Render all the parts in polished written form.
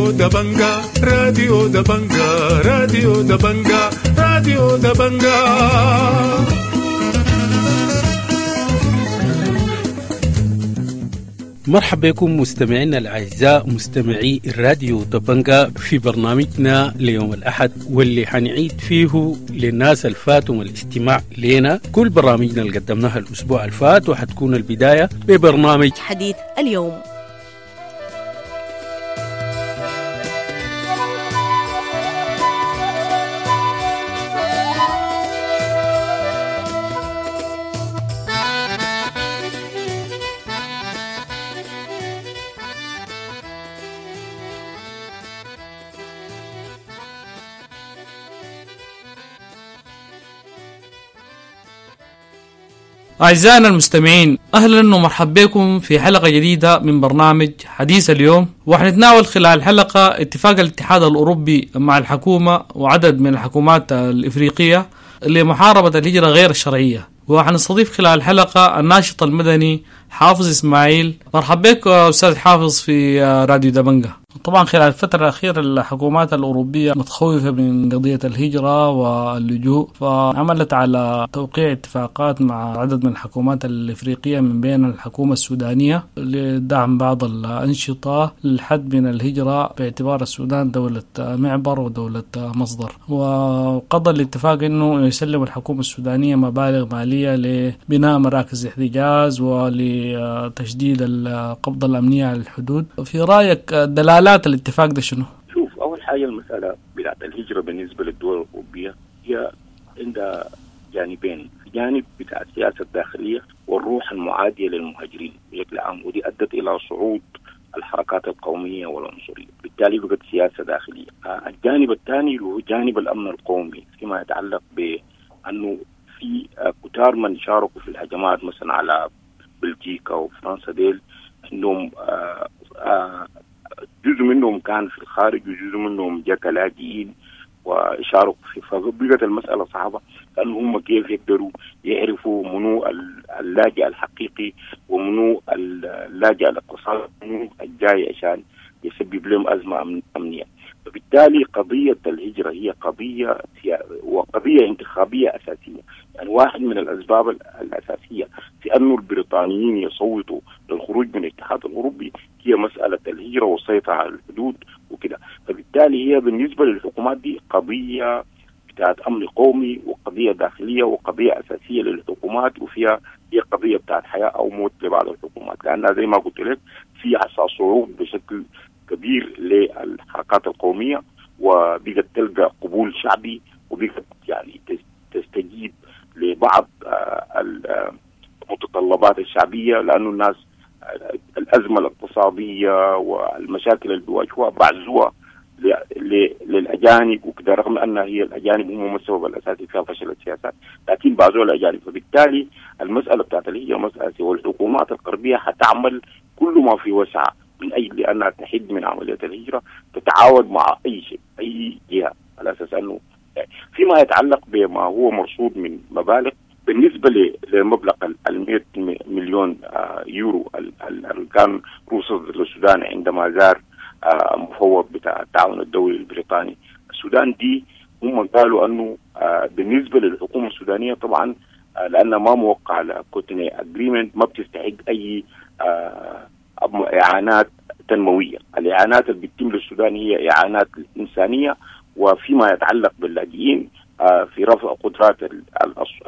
راديو دبنجا، راديو دبنجا، راديو دبنجا، راديو دبنجا. مرحبا بكم مستمعينا الأعزاء مستمعي الراديو دبنجا في برنامجنا ليوم الأحد، واللي حنعيد فيه للناس الفاتهم الاستماع لنا كل برامجنا اللي قدمناها الأسبوع الفات، وحتكون البداية ببرنامج حديث اليوم. أعزائنا المستمعين، أهلا ومرحبا بكم في حلقة جديدة من برنامج حديث اليوم. وحنتناول خلال الحلقة اتفاق الاتحاد الأوروبي مع الحكومة وعدد من الحكومات الإفريقية لمحاربة الهجرة غير الشرعية. وحنستضيف خلال الحلقة الناشط المدني حافظ إسماعيل. مرحبا بك أستاذ حافظ في راديو دبنجة. طبعا خلال الفترة الأخيرة الحكومات الأوروبية متخوفة من قضية الهجرة واللجوء، فعملت على توقيع اتفاقات مع عدد من الحكومات الإفريقية من بين الحكومة السودانية لدعم بعض الأنشطة للحد من الهجرة باعتبار السودان دولة معبر ودولة مصدر. وقضى الاتفاق أنه يسلم الحكومة السودانية مبالغ مالية لبناء مراكز احتجاز ولتشديد القبضة الأمنية على الحدود. في رأيك دلالات الاتفاق ده شنو؟ شوف، أول حاجة المسألة بتاعت الهجرة بالنسبة للدول الأوروبية هي عندها جانبين، جانب بتاع السياسة الداخلية والروح المعادية للمهاجرين بشكل عام، ودي أدت إلى صعود الحركات القومية والعنصرية، بالتالي بقت سياسة داخلية. الجانب الثاني هو جانب الأمن القومي فيما يتعلق بأنه في كتار من شاركوا في الهجمات مثلا على بلجيكا وفرنسا، ديل عندهم جزء منهم كان في الخارج وجزء منهم جاء كلاجئين وشاركوا في، فبقت المسألة صعبة لأنه هم كيف يقدروا يعرفوا منو اللاجئ الحقيقي ومنو اللاجئ الاقتصادي منو الجاي عشان يسبب لهم أزمة أمنية. فبالتالي قضية الهجرة هي قضية وقضية انتخابية أساسية. يعني واحد من الأسباب الأساسية في أن البريطانيين يصوتوا للخروج من الاتحاد الأوروبي هي مسألة الهجرة والسيطرة على الحدود وكده. فبالتالي هي بالنسبة للحكومات دي قضية بتاعت أمن قومي وقضية داخلية وقضية أساسية للحكومات، وفيها هي قضية بتاعت حياة أو موت لبعض الحكومات، لأنها زي ما قلت لك في صعود بشكل كبير للحركات القومية، وبقت تلقى قبول شعبي، وبقت يعني تستجيب لبعض المتطلبات الشعبية، لأنه الناس الأزمة الاقتصادية والمشاكل اللي بيواجهوها بعزوها للأجانب وكذا، رغم أن هي الأجانب هم السبب الأساسي فيها فشل السياسات، لكن بعزوها الأجانب. فبالتالي المسألة بتاعت الهجرة مسألة، والحكومات الغربية حتعمل كل ما في وسعها من أجل أنها تحد من عملية الهجرة، تتعاون مع أي شيء أي جهة على أساس أنه فيما يتعلق بما هو مرصود من مبالغ. بالنسبة لمبلغ 100 مليون يورو اللي كان رصد للسودان عندما زار مفوض بتاع التعاون الدولي البريطاني السودان، دي هم قالوا أنه بالنسبة للحكومة السودانية طبعا لأنها ما موقع على كوتونو agreement ما بتستحق أي إعانات تنموية. الإعانات اللي بتتم للسودان هي إعانات إنسانية، وفيما يتعلق باللاجئين في رفع قدرات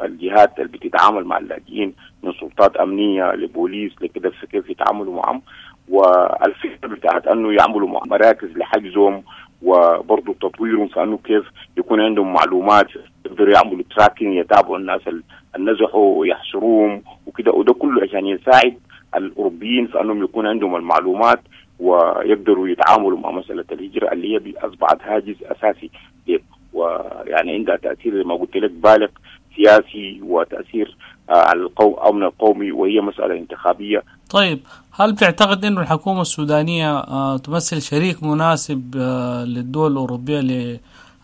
الجهات اللي بتتعامل مع اللاجئين من سلطات أمنية لبوليس لكده في كيف يتعاملوا معهم، والفكرة بتاعت أنه يعملوا مع مراكز لحجزهم وبرضه تطويرهم في أنه كيف يكون عندهم معلومات يقدروا يعملوا tracking، يتابعوا الناس اللي نزحوا ويحصروهم وكده، وده كله عشان يساعد الأوروبيين في أنهم يكون عندهم المعلومات ويقدروا يتعاملوا مع مسألة الهجرة اللي هي أصبحت هاجس أساسي، ويعني عندها تأثير زي ما قلت لك بالغ سياسي وتأثير على الأمن القومي، وهي مسألة انتخابية. طيب، هل بتعتقد أن الحكومة السودانية تمثل شريك مناسب للدول الأوروبية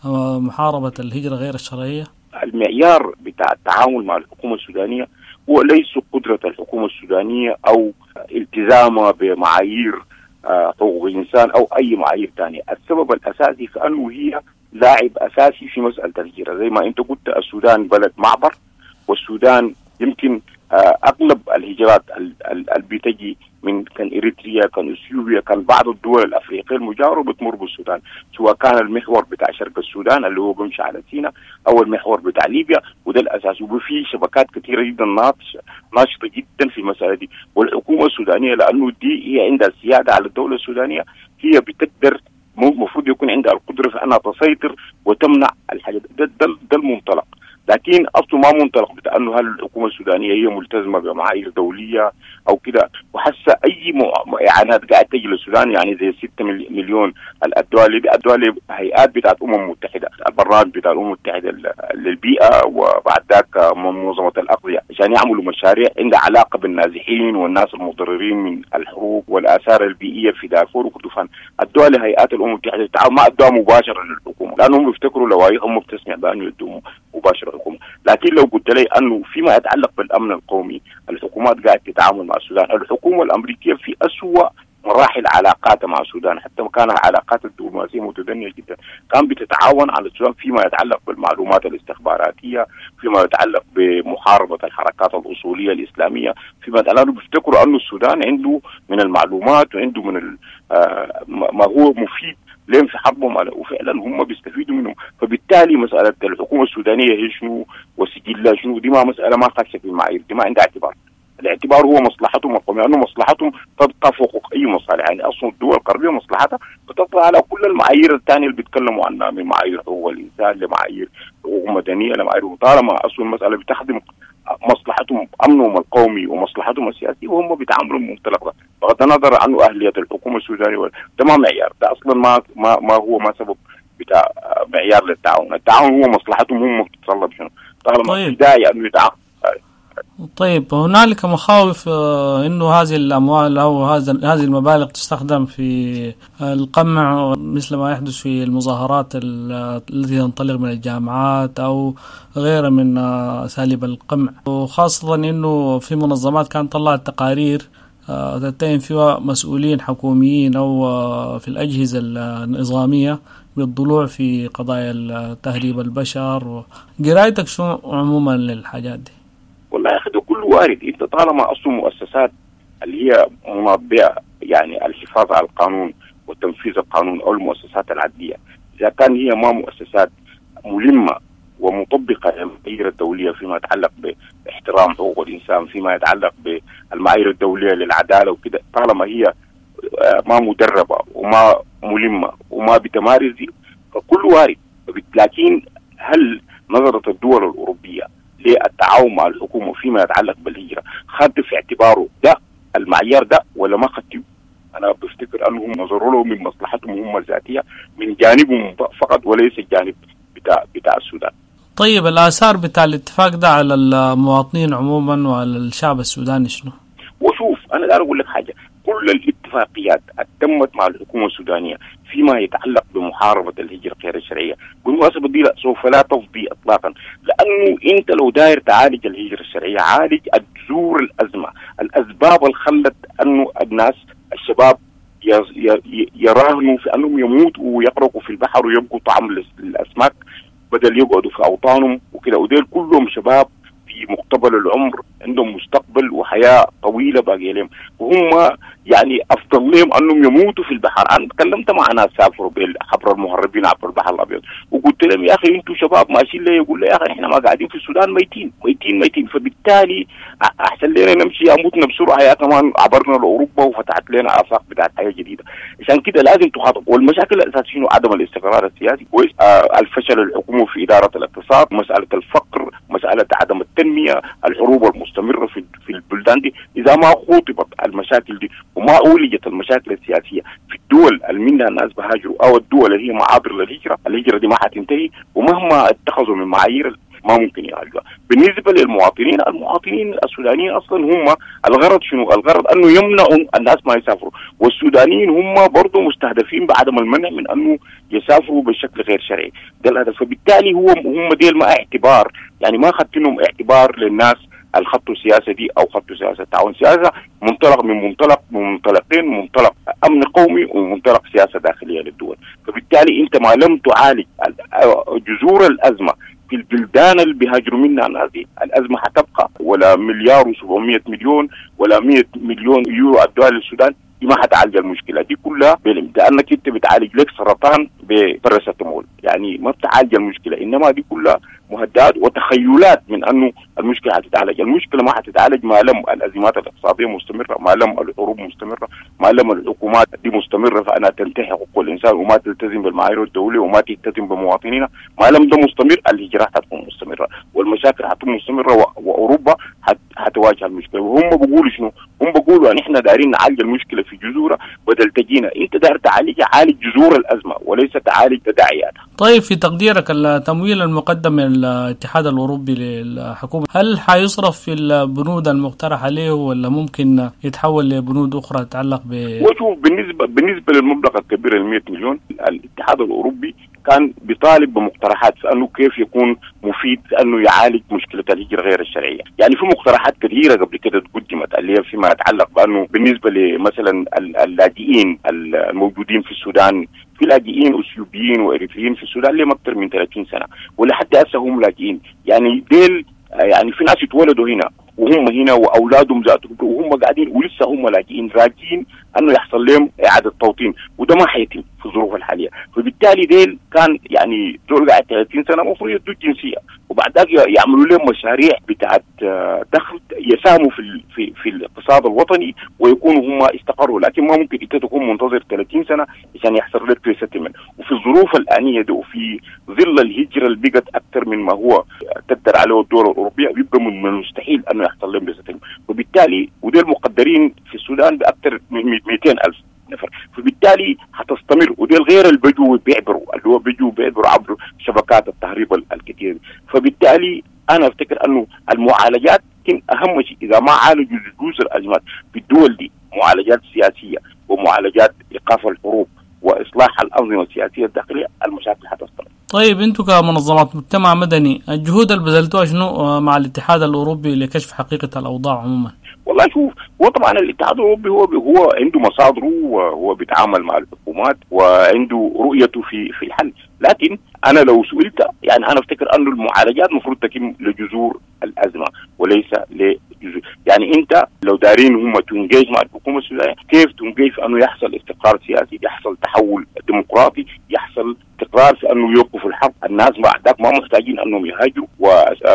لمحاربة الهجرة غير الشرعية؟ المعيار بتاع التعامل مع الحكومة السودانية هو ليس قدرة الحكومة السودانية أو التزامها بمعايير حقوق الانسان او اي معايير ثانية، السبب الاساسي في انه هي لاعب اساسي في مسالة الهجرة، زي ما انت قلت السودان بلد معبر، والسودان يمكن اغلب الهجرات اللي بتجي من كان اريتريا، كان اثيوبيا، كان بعض الدول الافريقية المجاورة بتمر بالسودان، سواء كان المحور بتاع شرق السودان اللي هو بيمشي على سيناء او المحور بتاع ليبيا، وده الاساس. وفي شبكات كثيرة جدا ناشطة جدا في المسالة دي، والحكومة السودانية لانه دي هي عندها السيادة على الدولة السودانية، هي بتقدر المفروض يكون عندها القدرة في انها تسيطر وتمنع الحاجة ده المنطلق. لكن اصله ما منطلق بتاع انه هل الحكومة السودانية هي ملتزمة بمعايير دولية او كده، وحاسه اي اعانات قاعدة تجي للسودان، يعني زي 6 مليون الدول دي الدول هيئات بتاعت الامم المتحدة، البرنامج بتاع الامم المتحدة للبيئة، وبعد ذاك منظمة الاغذية، عشان يعملوا مشاريع عندها علاقة بالنازحين والناس المتضررين من الحروب والاثار البيئية في دارفور وكردفان. الدول هيئات الامم المتحدة ما ادوها مباشرة للحكومة، لانهم بيفتكروا لوائحهم بتسمع بانه يدوا مباشرة الحكومة. لكن لو قلت لي انه فيما يتعلق بالامن القومي الحكومات قاعدة تتعامل مع السودان، الحكومة الامريكية في اسوأ مراحل علاقاتها مع السودان، حتى كان العلاقات الدبلوماسية متدنيه جدا، كان بتتعاون على السودان فيما يتعلق بالمعلومات الاستخباراتية، فيما يتعلق بمحاربه الحركات الاصولية الاسلامية، فيما يتعلق بيفتكروا انه السودان عنده من المعلومات وعنده من ما هو مفيد لين في حربهم على، وفعلا هم بيستفيدوا منهم. فبالتالي مسالة الحكومة السودانية هي شنو وسجلها شنو، دي ما مسالة ما خاشه في المعايير، دي ما عندها اعتبار. الاعتبار هو مصلحتهم القومية، لانه مصلحتهم تبقى فوق اي مصالح، يعني اصلا الدول الغربية مصلحتها بتطلع على كل المعايير الثانية اللي بيتكلموا عنها، من معايير حقوق الانسان لمعايير حقوق مدنية لمعايير، طالما اصلا المسالة بتخدم مصلحتهم امنهم القومي ومصلحتهم السياسية، وهم بيتعاملوا بالمنطلق ده بغض النظر عنه اهليه الحكومة السودانية. ده ما معيار، ده اصلا ما ما ما هو ما سبب بتاع معيار للتعاون، التعاون هو مصلحتهم هم بتتطلب شنو طالما طيب. داعي انه يتعاون. طيب هنالك مخاوف انه هذه الاموال او هذه المبالغ تستخدم في القمع مثل ما يحدث في المظاهرات التي تنطلق من الجامعات او غيرها من اساليب القمع، وخاصة انه في منظمات كانت طلعت تقارير تتهم فيها مسؤولين حكوميين او في الاجهزة النظامية بالضلوع في قضايا تهريب البشر. قرايتك شو عموما للحاجات دي؟ والله يا اخي ده كله وارد. انت طالما اصلا مؤسسات اللي هي مناطبه يعني الحفاظ على القانون وتنفيذ القانون او المؤسسات العدليه، اذا كان هي ما مؤسسات ملمه ومطبقه للمعايير الدولية فيما يتعلق باحترام حقوق الانسان، فيما يتعلق بالمعايير الدولية للعدالة وكده، طالما هي ما مدربه وما ملمه وما بتمارس فكله وارد. لكن هل نظرت الدول الاوروبية للتعاون مع الحكومة فيما يتعلق بالهجرة خد في اعتباره ده المعيار ده ولا ما خدته؟ انا بفتكر انهم نظروا له من مصلحتهم هم الذاتية من جانبهم فقط وليس الجانب بتاع السودان. طيب الاثار بتاع الاتفاق ده على المواطنين عموما وعلى الشعب السوداني شنو؟ وشوف انا داير اقول لك حاجة، كل الاتفاقيات تمت مع الحكومة السودانية فيما يتعلق بمحاربه الهجرة غير الشرعية، بالمناسبة دي لا سوف لا تفضي اطلاقا، لانه انت لو داير تعالج الهجرة الشرعية عالج جذور الازمة، الاسباب اللي خلت انه الناس الشباب يراهنوا في انهم يموتوا ويغرقوا في البحر ويبقوا طعم للاسماك بدل يقعدوا في اوطانهم وكده، وديل كلهم شباب في مقتبل العمر عندهم مستقبل وحياه طويلة باقية لهم، وهم يعني افضل لهم انهم يموتوا في البحر. انا تكلمت مع ناس سافروا عبر المهربين عبر البحر الابيض وقلت لهم يا اخي انتم شباب ماشيين ليه؟ يقول لي يا اخي احنا ما قاعدين في السودان ميتين ميتين ميتين، فبالتالي احسن لنا نمشي يا موتنا بسرعة يا كمان عبرنا لاوروبا وفتحت لنا افاق بتاعت حياة جديدة. عشان كده لازم تخاطب. والمشاكل الاساسية شنو؟ عدم الاستقرار السياسي، الفشل الحكومي في ادارة الاقتصاد، مسالة الفقر، مسالة عدم التنمية، الحروب المستمرة في البلدان دي. اذا ما خوطبت المشاكل دي وما أولجت المشاكل السياسية في الدول اللي منها الناس بهاجروا او الدول اللي هي معابر للهجرة، الهجرة دي ما حتنتهي، ومهما اتخذوا من معايير ما ممكن يعالجوها. بالنسبة للمواطنين، المواطنين السودانيين اصلا هم الغرض شنو؟ الغرض انه يمنعوا الناس ما يسافروا، والسودانيين هم برضه مستهدفين بعدم المنع من انه يسافروا بشكل غير شرعي، ده الهدف. فبالتالي هو هم ديل ما اعتبار، يعني ما اخذت لهم اعتبار للناس الخط السياسة دي او خط سياسة التعاون. سياسة منطلق من منطلق من منطلقين، منطلق امن قومي ومنطلق سياسة داخلية للدول. فبالتالي انت ما لم تعالج جذور الازمة في البلدان اللي بيهاجروا منها الناس دي، الازمة حتبقى. ولا 1,700,000,000 ولا 100 مليون يورو ادوها للسودان دي ما حتعالج المشكلة دي كلها، لانك انت بتعالج لك سرطان بباراسيتامول، يعني ما بتعالج المشكلة، انما دي كلها مهدئات وتخيلات من انه المشكلة حتتعالج. المشكلة ما حتتعالج ما لم الازمات الاقتصادية مستمرة، ما لم الحروب مستمرة، ما لم الحكومات دي مستمرة فانها تنتهي حقوق الانسان وما تلتزم بالمعايير الدولية وما تلتزم بمواطنينا. ما لم ده مستمر الهجرات حتكون مستمرة والمشاكل حتكون مستمرة، واوروبا حتواجه المشكلة. وهم بيقولوا شنو؟ هم بيقولوا ان احنا دايرين نعالج المشكلة في جذورها بدل تجينا انت داير تعالج، عالج جذور الازمة وليس تعالج تداعياتها. طيب في تقديرك التمويل المقدم من الاتحاد الاوروبي للحكومة هل حيصرف في البنود المقترحة عليه ولا ممكن يتحول لبنود اخرى تتعلق ب؟ وشوف بالنسبة للمبلغ الكبير ال 100 مليون، الاتحاد الاوروبي كان بيطالب بمقترحات في انه كيف يكون مفيد في انه يعالج مشكلة الهجرة غير الشرعية، يعني في مقترحات كثيرة قبل كده قدمت اللي هي فيما يتعلق بانه بالنسبة لمثلا اللاجئين الموجودين في السودان، في لاجئين اثيوبيين واريتريين في السودان لهم اكثر من 30 سنة ولحد هسه هم لاجئين، يعني ديل يعني في ناس اتولدوا هنا وهم هنا واولادهم ذاتهم وهم قاعدين ولسه هم لاجئين راجين انه يحصل لهم اعاده توطين، وده ما حيتم في الظروف الحالية. فبالتالي ديل كان يعني دول قاعد 30 سنة المفروض يدوا الجنسية وبعد ذاك يعملوا لهم مشاريع بتاعت دخل يساهموا في في الاقتصاد الوطني ويكونوا هم استقروا. لكن ما ممكن انت تكون منتظر 30 سنة عشان يحصل لك resettlement، وفي الظروف الانية دي وفي ظل الهجرة اللي بقت اكثر من ما هو تقدر عليه الدول الاوروبية بيبقى من المستحيل انه يحصل لهم resettlement. وبالتالي وديل مقدرين في السودان باكثر من 200,000 نفر، فبالتالي حتستمر. وديل غير البدو بيعبروا اللي هو بيجوا بيعبروا عبر شبكات التهريب الكثير. فبالتالي انا افتكر انه المعالجات يمكن اهم شيء اذا ما عالجوا جذور الازمات في الدول دي، معالجات سياسية ومعالجات ايقاف الحروب واصلاح الانظمة السياسية الداخلية، المشاكل حتستمر. طيب انتم كمنظمات مجتمع مدني الجهود اللي بذلتوها شنو مع الاتحاد الاوروبي لكشف حقيقة الاوضاع عموما؟ والله شوف، هو طبعا الاتحاد الاوروبي هو عنده مصادره وهو بيتعامل مع الحكومات وعنده رؤيته في الحل، لكن انا لو سئلت يعني انا افتكر انه المعالجات المفروض تتم لجذور الازمة وليس لجذور، يعني انت لو دارين هم ت engage مع الحكومة السودانية، كيف ت engage في انه يحصل استقرار سياسي، يحصل تحول ديمقراطي، يحصل استقرار في انه يوقفوا الحرب، الناس بعدك ما محتاجين انهم يهاجروا،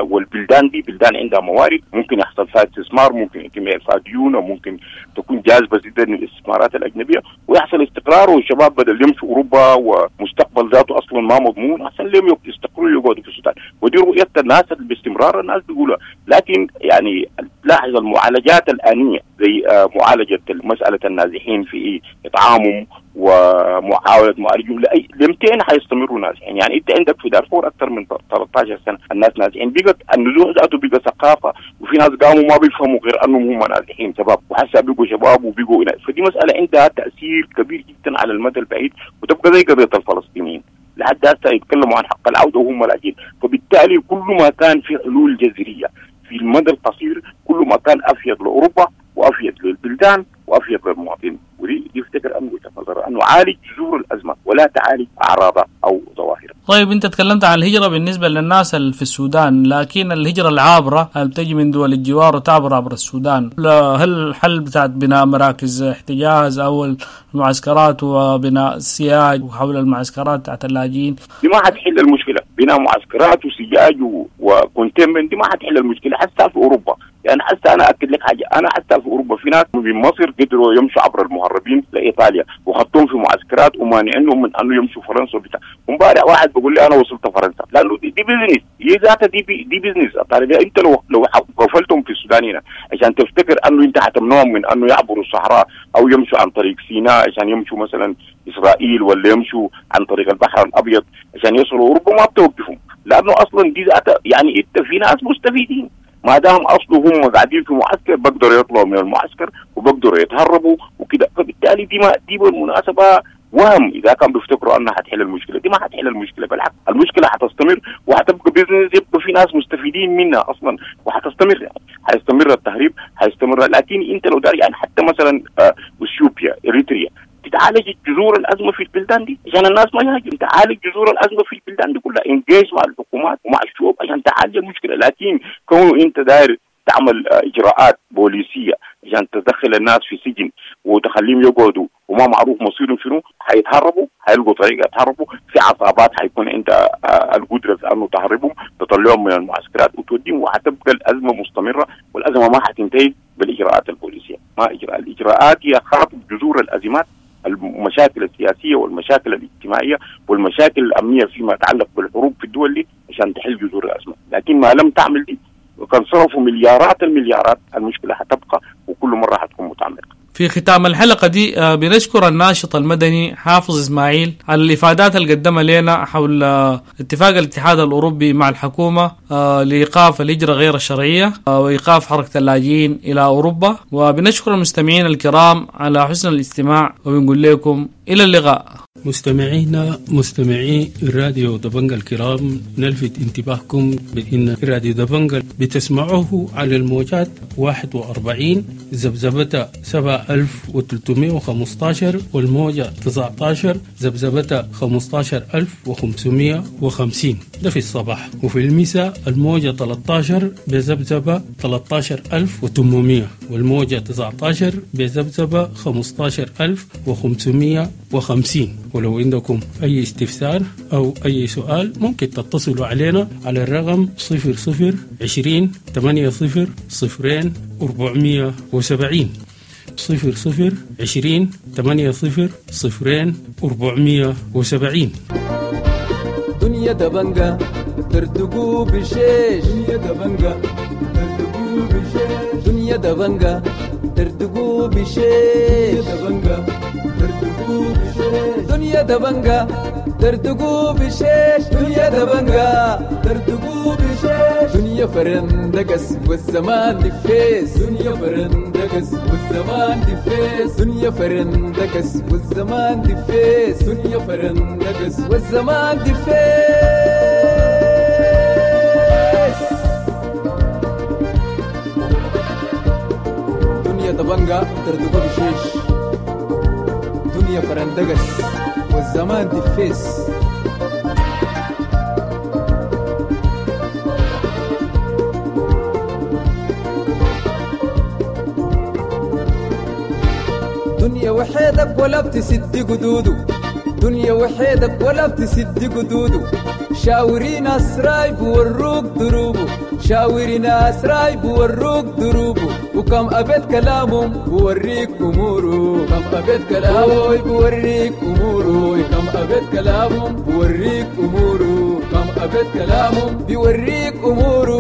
والبلدان دي بلدان عندها موارد ممكن يحصل فيها استثمار، ممكن يتم اعفاء ديون، وممكن تكون جاذبة جدا للاستثمارات الاجنبية ويحصل استقرار، والشباب بدل يمشوا اوروبا ومستقبل ذاته اصلا ما مضمون، احسن لهم يستقروا يقعدوا في السودان. ودي رؤية الناس باستمرار الناس بيقولها، لكن يعني تلاحظ المعالجات الانية زي معالجة مسالة النازحين في اطعامهم ومحاولة معالجهم لاي لمتين حيستمروا نازحين؟ يعني انت عندك في دارفور اكثر من 13 سنة الناس نازحين، بقت النزوح ذاته بقى ثقافة، وفي ناس قاموا ما بيفهموا غير انهم هم نازحين شباب، وحسا بقوا شباب وبقوا، فدي مسالة عندها تاثير كبير جدا على المدى البعيد، وتبقى زي قضية الفلسطينيين لحد هسه يتكلموا عن حق العودة وهم لاجئين. فبالتالي كل ما كان في حلول جذرية في المدى القصير كل ما كان افيد لاوروبا وافيد للبلدان وافيد للمواطنين، ودي يفتكر انه وجهه نظر انه عالج جذور الازمة ولا تعالج اعراضها او ظواهرها. طيب انت تكلمت عن الهجرة بالنسبة للناس اللي في السودان، لكن الهجرة العابره اللي بتجي من دول الجوار وتعبر عبر السودان، هل الحل بتاعت بناء مراكز احتجاز او المعسكرات وبناء سياج وحول المعسكرات بتاعت اللاجئين؟ دي ما حتحل المشكلة، بناء معسكرات وسياج و containment دي ما حتحل المشكلة حتى في اوروبا. يعني حتى انا اكد لك حاجة، انا حتى في اوروبا في ناس من مصر قدروا يمشوا عبر المهربين لايطاليا وخطوهم في معسكرات ومانعينهم من انه يمشوا فرنسا وبتاع. امبارح واحد بيقول لي انا وصلت فرنسا، لانه دي business، هي ذاتها دي business. طيب انت لو قفلتهم في السودان هنا عشان تفتكر انه انت حتمنعهم من انه يعبروا الصحراء او يمشوا عن طريق سيناء عشان يمشوا مثلا اسرائيل ولا يمشوا عن طريق البحر الابيض عشان يصلوا اوروبا، ما بتوقفهم، لانه اصلا دي ذاتها يعني انت في ناس مستفيدين ما دام اصله هم قاعدين في معسكر بقدروا يطلعوا من المعسكر وبقدروا يتهربوا وكده. فبالتالي دي بالمناسبة وهم اذا كان بيفتكروا انها حتحل المشكلة، دي ما حتحل المشكلة، بالعكس المشكلة حتستمر وحتبقى business، يبقى في ناس مستفيدين منها اصلا وحتستمر، يعني حيستمر التهريب، حيستمر. لكن انت لو داري يعني حتى مثلا اثيوبيا، اريتريا، تتعالج جذور الازمة في البلدان دي عشان الناس ما يهاجم، تعالج جذور الازمة في البلدان دي كلها، engage مع الحكومات ومع الشعوب عشان تعالج المشكلة. لكن كونه انت داير تعمل اجراءات بوليسيه عشان تدخل الناس في سجن وتخليهم يقعدوا وما معروف مصيرهم شنو، حيتهربوا، حيلقوا طريقه يتهربوا، في عصابات حيكون عندها القدرة في انه تهربهم، تطلعهم من المعسكرات وتوديهم، وحتبقى الازمة مستمرة، والازمة ما حتنتهي بالاجراءات البوليسيه. ما اجراء الاجراءات هي خاطب جذور الازمات، المشاكل السياسية والمشاكل الاجتماعية والمشاكل الامنية فيما يتعلق بالحروب في الدول دي عشان تحل جذور الازمة. لكن ما لم تعمل دي وكان صرفوا مليارات المليارات، المشكلة حتبقى وكل مرة حتكون متعمقه. في ختام الحلقة دي بنشكر الناشط المدني حافظ إسماعيل على الإفادات اللي قدمها لنا حول اتفاق الاتحاد الأوروبي مع الحكومة لإيقاف الهجرة غير الشرعية وإيقاف حركة اللاجئين إلى أوروبا. وبنشكر المستمعين الكرام على حسن الاستماع، وبنقول لكم إلى اللقاء. مستمعينا مستمعي راديو دبنجا الكرام، نلفت انتباهكم بأن راديو دبنجا بتسمعوه على الموجات 41 ذبذبة 7315 والموجة 19 ذبذبة 15550، ده في الصباح. وفي المساء الموجة 13 بذبذبة 13800 والموجة 19 بذبذبة 15550. ولو عندكم أي استفسار أو أي سؤال ممكن تتصلوا علينا على الرقم 00 20 80 0 470، 00 20 80 0 470. دنيا دبنجة تردقوا بشيش، دنيا دبنجة تردقوا بشيش، دنيا دبنجة تردقوا بشيش، دبنجة تردقوا بشيش، دنيا دبنجة تردقوا بشيش، دنيا دبنجة تردقوا بشيش، دنيا فرندقس والزمان دفيس، دنيا فرندقس والزمان دفيس، دنيا فرندقس والزمان دفيس، دنيا فرندقس والزمان دفيس. دنيا دبنجة تردقوا بشيش، دنيا فرندقس والزمان دفيس. دنيا وحيدك ولا بتسد قدوده، دنيا وحيدك ولا بتسد قدوده، شاوري ناس رايب وروك دروبه، شاوري ناس رايب وروك دروبه، وكم أبيت كلامهم بوريك أموره، كم أبيت كلامهم بوريك أموره، كم أبيت كلامهم بوريك أموره، كم أبيت كلامهم بيوريك أموره.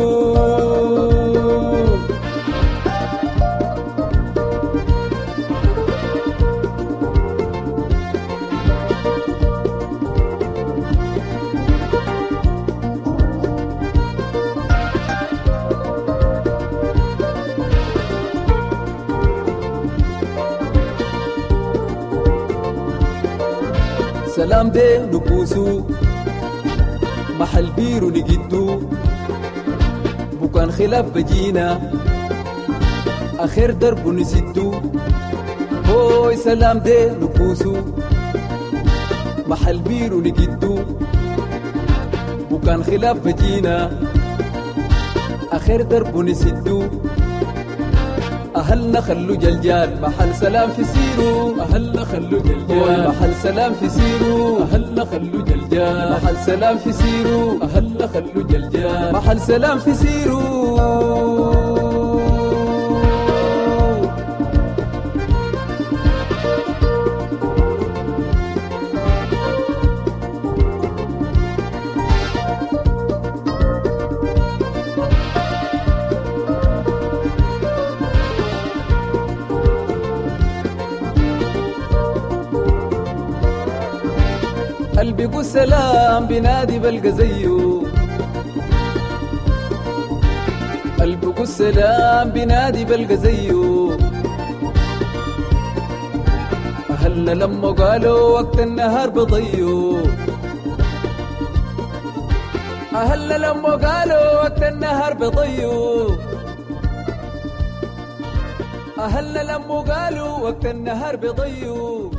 سلام دي نكوسو محل بيرو نجدو، بكان خلاف بجينا آخر درب نسدو، هوي سلام دي نكوسو محل بيرو نجدو، بكان خلاف بجينا آخر درب نسدو، أهلنا خلو جلجال محل سلام في سيرو، أهلنا خلو جلجال محل سلام في سيرو، أهلنا خلو جلجال محل سلام في سيرو، أهلنا خلو جلجال محل سلام في سيرو. قلبي سلام بنادي بلقى زيه، قلبي سلام بنادي بلقى زيه، أهلنا لما قالوا وقت النهار بضيو، أهلنا لما قالوا وقت النهار بضيو. أهلنا لموا قالوا وقت النهار بيضيوا،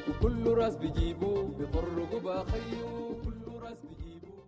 وكل راس بيجيبوا بيطرقوا باخيو، كل راس بيجيبوا.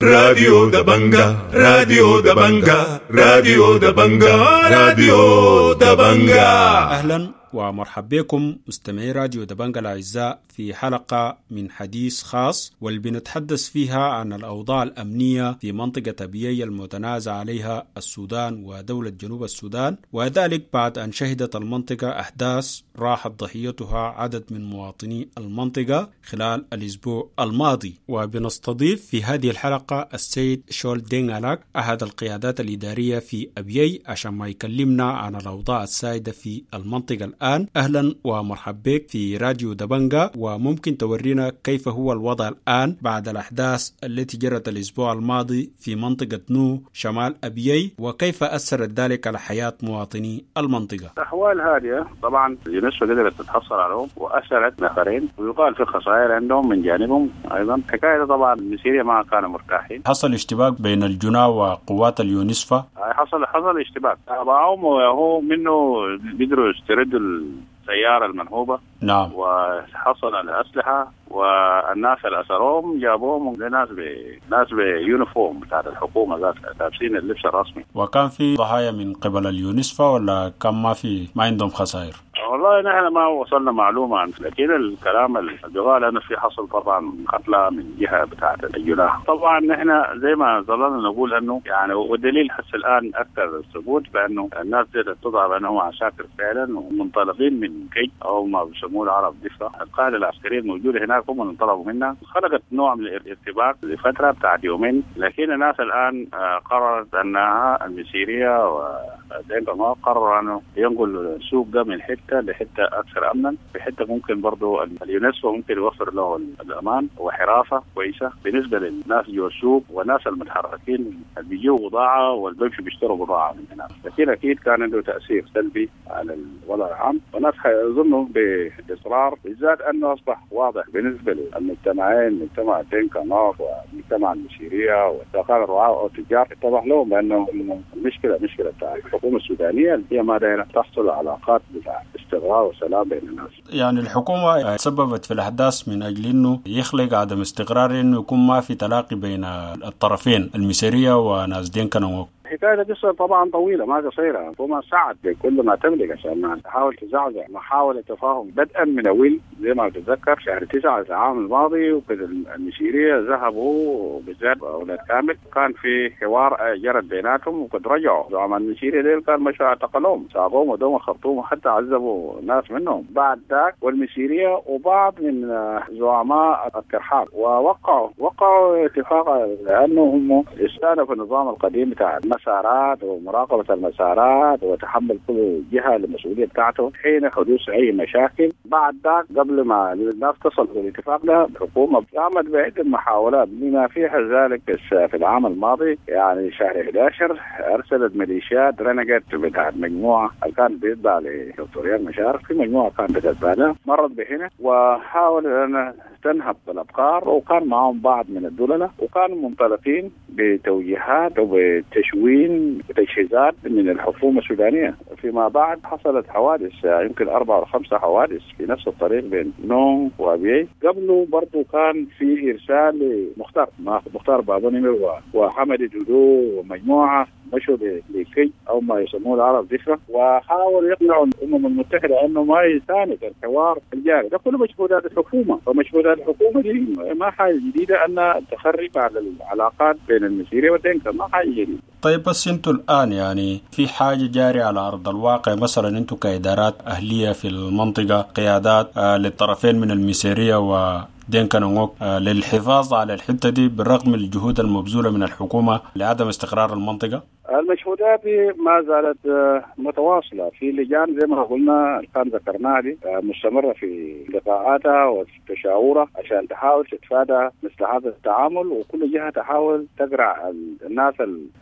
راديو دبنجا، راديو دبنجا، راديو دبنجا، راديو دبنجا. أهلا ومرحبا بكم مستمعي راديو دبنجا الأعزاء في حلقة من حديث خاص، واللي بنتحدث فيها عن الأوضاع الأمنية في منطقة أبيي المتنازع عليها السودان ودولة جنوب السودان، وذلك بعد أن شهدت المنطقة أحداث راحت ضحيتها عدد من مواطني المنطقة خلال الأسبوع الماضي. وبنستضيف في هذه الحلقة السيد شول دينغالاك أحد القيادات الإدارية في أبيي عشان ما يكلمنا عن الأوضاع السائدة في المنطقة الآن. أهلا ومرحبا بك في راديو دبنجا، وممكن تورينا كيف هو الوضع الآن بعد الأحداث التي جرت الأسبوع الماضي في منطقة نو شمال أبيي، وكيف أثرت ذلك على حياة مواطني المنطقة؟ الأحوال هادئة طبعا، اليونسكو قدرت تتحصل عليهم وأسرت نفرين، ويقال في خسائر عندهم من جانبهم أيضا. حكاية طبعا المسيرية ما كانوا مرتاحين. حصل اشتباك بين الجنا وقوات اليونسفا؟ حصل اشتباك تابعهم، وهو منه قدروا يستردوا السيارة المنهوبة. نعم. وحصل الأسلحة، والناس اللي أسروهم جابوهم لناس ناس ب uniform بتاعت الحكومة ذات، لابسين اللبس الرسمي. وكان في ضحايا من قبل اليونسفا ولا كان ما عندهم خسائر؟ والله نحن ما وصلنا معلومة عن، لكن الكلام اللي قال أنه في حصل طبعا قتلى من جهة بتاعة الجناح. طبعا نحن زي ما ظللنا نقول أنه يعني، والدليل حتى الآن أكثر الثبوت بأنه الناس دي تضع بأنهم عساكر فعلا ومنطلقين من كي أو ما بيسموه العرب دفة، القاعدة العسكرية الموجودة هناك هم اللي انطلقوا منها. خلقت نوع من الارتباك لفترة بتاعت يومين، لكن الناس الآن قررت أنها المسيرية ودينكا قرروا أنه ينقل السوق ده من حتة لحتة أكثر أمنا، في حتة ممكن برضو اليونسكو ممكن يوفر له الأمان وحراسة كويسة بالنسبة للناس جوا السوق والناس المتحركين اللي بيجوا بضاعة واللي بيمشوا بيشتروا بضاعة من هناك. لكن أكيد كان عنده تأثير سلبي على الوضع العام، والناس حيظنوا بإصرار، بالذات أنه أصبح واضح بالنسبة للمجتمعين، مجتمع دينكا نوك ومجتمع المشيرية وكان الرعاة أو التجار، اتضح لهم بأنه المشكلة مشكلة بتاع الحكومة السودانية اللي هي ما دايرة تحصل علاقات بتاع استقرار وسلام بين الناس. يعني الحكومة تسببت في الأحداث من أجل إنه يخلق عدم استقرار، إنه يكون ما في تلاقي بين الطرفين المسيرية وناس دينكا نوك. حكاية قصة طبعا طويلة ما قصيرة، الحكومة سعت بكل ما تملك عشان ما تحاول تزعزع محاولة تفاهم بدءا من أول زي ما بتتذكر شهر 9 العام الماضي، وكذا المشيرية ذهبوا بالذات أولاد كامل، كان في حوار جرت بيناتهم وقد رجعوا زعماء المشيرية ديل، كان مشوا اعتقلوهم ساقوهم ودوم الخرطوم وحتى عذبوا ناس منهم بعد ذاك، والمشيرية وبعض من زعماء الترحال، ووقعوا اتفاق لأنه هم استأنفوا النظام القديم بتاع المسارات ومراقبة المسارات وتحمل كل جهة المسؤولية بتاعته حين حدوث أي مشاكل. بعد ذاك قبل ما الناس تصل للاتفاق ده، الحكومة قامت بعدة محاولات بما فيها ذلك في العام الماضي، يعني شهر 11 أرسلت ميليشيات رنجت بتاعت مجموعة اللي كانت بيتبع لدكتور رياك مشار، في مجموعة كانت بتتبع لها مرت بهنا وحاولت أن تنهب الأبقار، وكان معهم بعض من الدولة، وكانوا منطلقين بتوجيهات وبتشوين وتجهيزات من الحكومة السودانية. فيما بعد حصلت حوادث، يمكن 4 أو 5 حوادث في نفس الطريق بين نونغ وأبيي. قبله برضو كان في إرسال لمختار مختار بابو نمر وحمد دودو ومجموعة مشوا لكي أو ما يسموه العرب ذكرى، وحاولوا يقنعوا الأمم المتحدة أنه ما يساند الحوار الجاري. ده كله مجهودات الحكومة، ومجهودات الحكومة دي ما حاجة جديدة أن تخرب على العلاقات بين المسيرية والدينكا، ما حاجة جديدة. طيب بس انتوا الآن يعني في حاجة جارية على أرض الواقع، مثلا انتوا كإدارات أهلية في المنطقة، قيادات للطرفين من المسيرية و دينكا نوك للحفاظ على الحتة دي بالرغم من الجهود المبذولة من الحكومة لعدم استقرار المنطقة؟ المجهودات ما زالت متواصلة في لجان زي ما قلنا كان ذكرناها دي مستمرة في لقاءاتها وتشاورها عشان تحاول تتفادى مثل هذا التعامل، وكل جهة تحاول تقرع الناس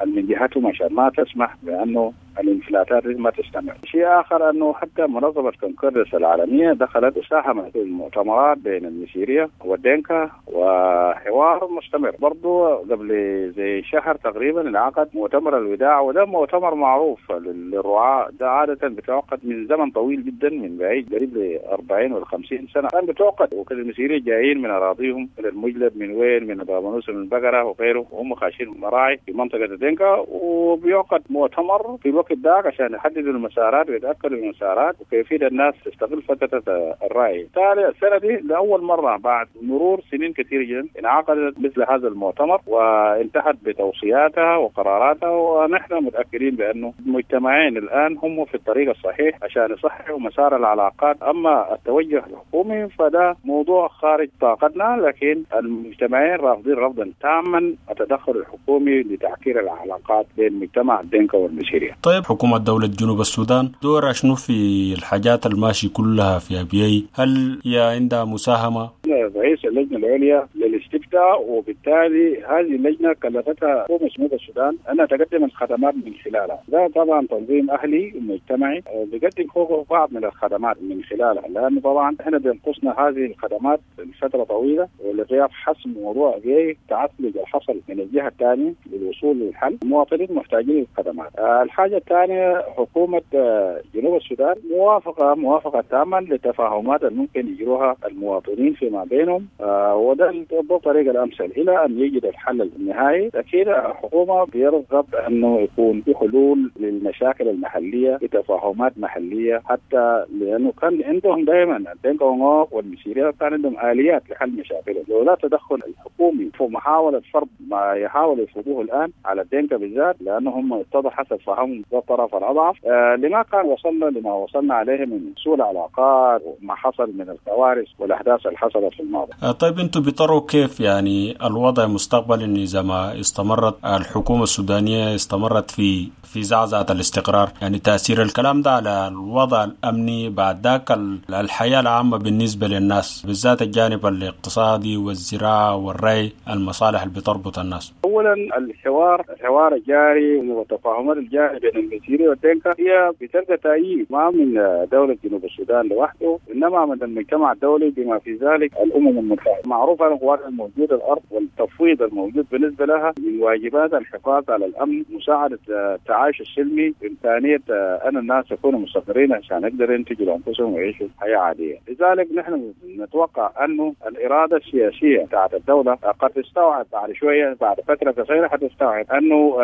من جهتهم عشان ما تسمح بأنه الانفلاتات ما تستمر. شيء اخر انه حتى منظمة كونكوردس العالمية دخلت وساهمت في المؤتمرات بين المسيريه والدينكا وحوار مستمر. برضو قبل زي شهر تقريبا انعقد مؤتمر الوداع، وده مؤتمر معروف للرعاة، ده عادة بتعقد من زمن طويل جدا، من بعيد قريب ل 40 ولا 50 سنة كان بتعقد، وكان المسيريه جايين من اراضيهم من المجلب، من وين، من بابنوس، من بقرة وغيره، وهم خاشين مراعي في منطقة الدينكا، وبيعقد مؤتمر في الوقت ده عشان يحددوا المسارات ويتاكدوا المسارات وكيفية الناس تستغل فترة الرعي. بالتالي السنة دي لاول مرة بعد مرور سنين كثيرة جدا انعقدت مثل هذا المؤتمر وانتهت بتوصياتها وقراراتها، ونحن متاكدين بانه المجتمعين الان هم في الطريق الصحيح عشان يصححوا مسار العلاقات. اما التوجه الحكومي فده موضوع خارج طاقتنا، لكن المجتمعين رافضين رفضا تاما التدخل الحكومي لتعكير العلاقات بين مجتمع الدينكا والمسيريه. طيب حكومة دولة جنوب السودان دورها شنو في الحاجات الماشي كلها في أبيي؟ هل هي عندها مساهمة؟ رئيس اللجنة العليا للاستفتاء، وبالتالي هذه اللجنة كلفتها حكومة جنوب السودان أنها تقدم الخدمات من خلالها. ده طبعا تنظيم أهلي مجتمعي بيقدم فوقه بعض من الخدمات من خلالها، لأنه طبعا احنا بينقصنا هذه الخدمات لفترة طويلة، ولغياب حسم موضوع أبيي تعثلج الحصل من الجهة الثانية للوصول للحل. المواطنين محتاجين للخدمات. الحاجة الثانية حكومة جنوب السودان موافقة تاما للتفاهمات الممكن يجروها المواطنين فيما بينهم، وده الطريقة الأمثل إلى أن يجد الحل النهائي. لكن الحكومة بيرغب أنه يكون في حلول للمشاكل المحلية بتفاهمات محلية، حتى لأنه كان عندهم دائما الدينكا والمسيرية كان عندهم آليات لحل مشاكلهم، لولا تدخل الحكومي في محاولة فرض ما يحاول يفرضوه الآن على الدينكا بالذات، لأنهم اتضح حسب فهمهم ده الطرف الأضعف، لما كان وصلنا لما وصلنا عليه من سوء العلاقات وما حصل من الكوارث والأحداث اللي حصلت في الماضي. طيب انتم بتروا كيف يعني الوضع مستقبلا اذا ما استمرت الحكومة السودانية استمرت في زعزعة الاستقرار؟ يعني تاثير الكلام ده على الوضع الامني بعد ذاك الحياة العامة بالنسبة للناس، بالذات الجانب الاقتصادي والزراعة والري، المصالح اللي بتربط الناس. اولا الحوار الجاري والتفاهمات الجارية بين المسيريه والدينكا هي بتلقى تأييد ما من دولة جنوب السودان لوحده، انما من المجتمع الدولي بما في ذلك الامم المتحدة. معروف عن القوات الموجودة الارض والتفويض الموجود بالنسبة لها من واجبات الحفاظ على الامن، مساعدة التعايش السلمي، امكانية ان الناس يكونوا مستقرين عشان يقدروا ينتجوا لانفسهم ويعيشوا حياة عادية. لذلك نحن نتوقع انه الارادة السياسية بتاعت الدولة قد تستوعب بعد شوية، بعد فترة قصيرة حتستوعب انه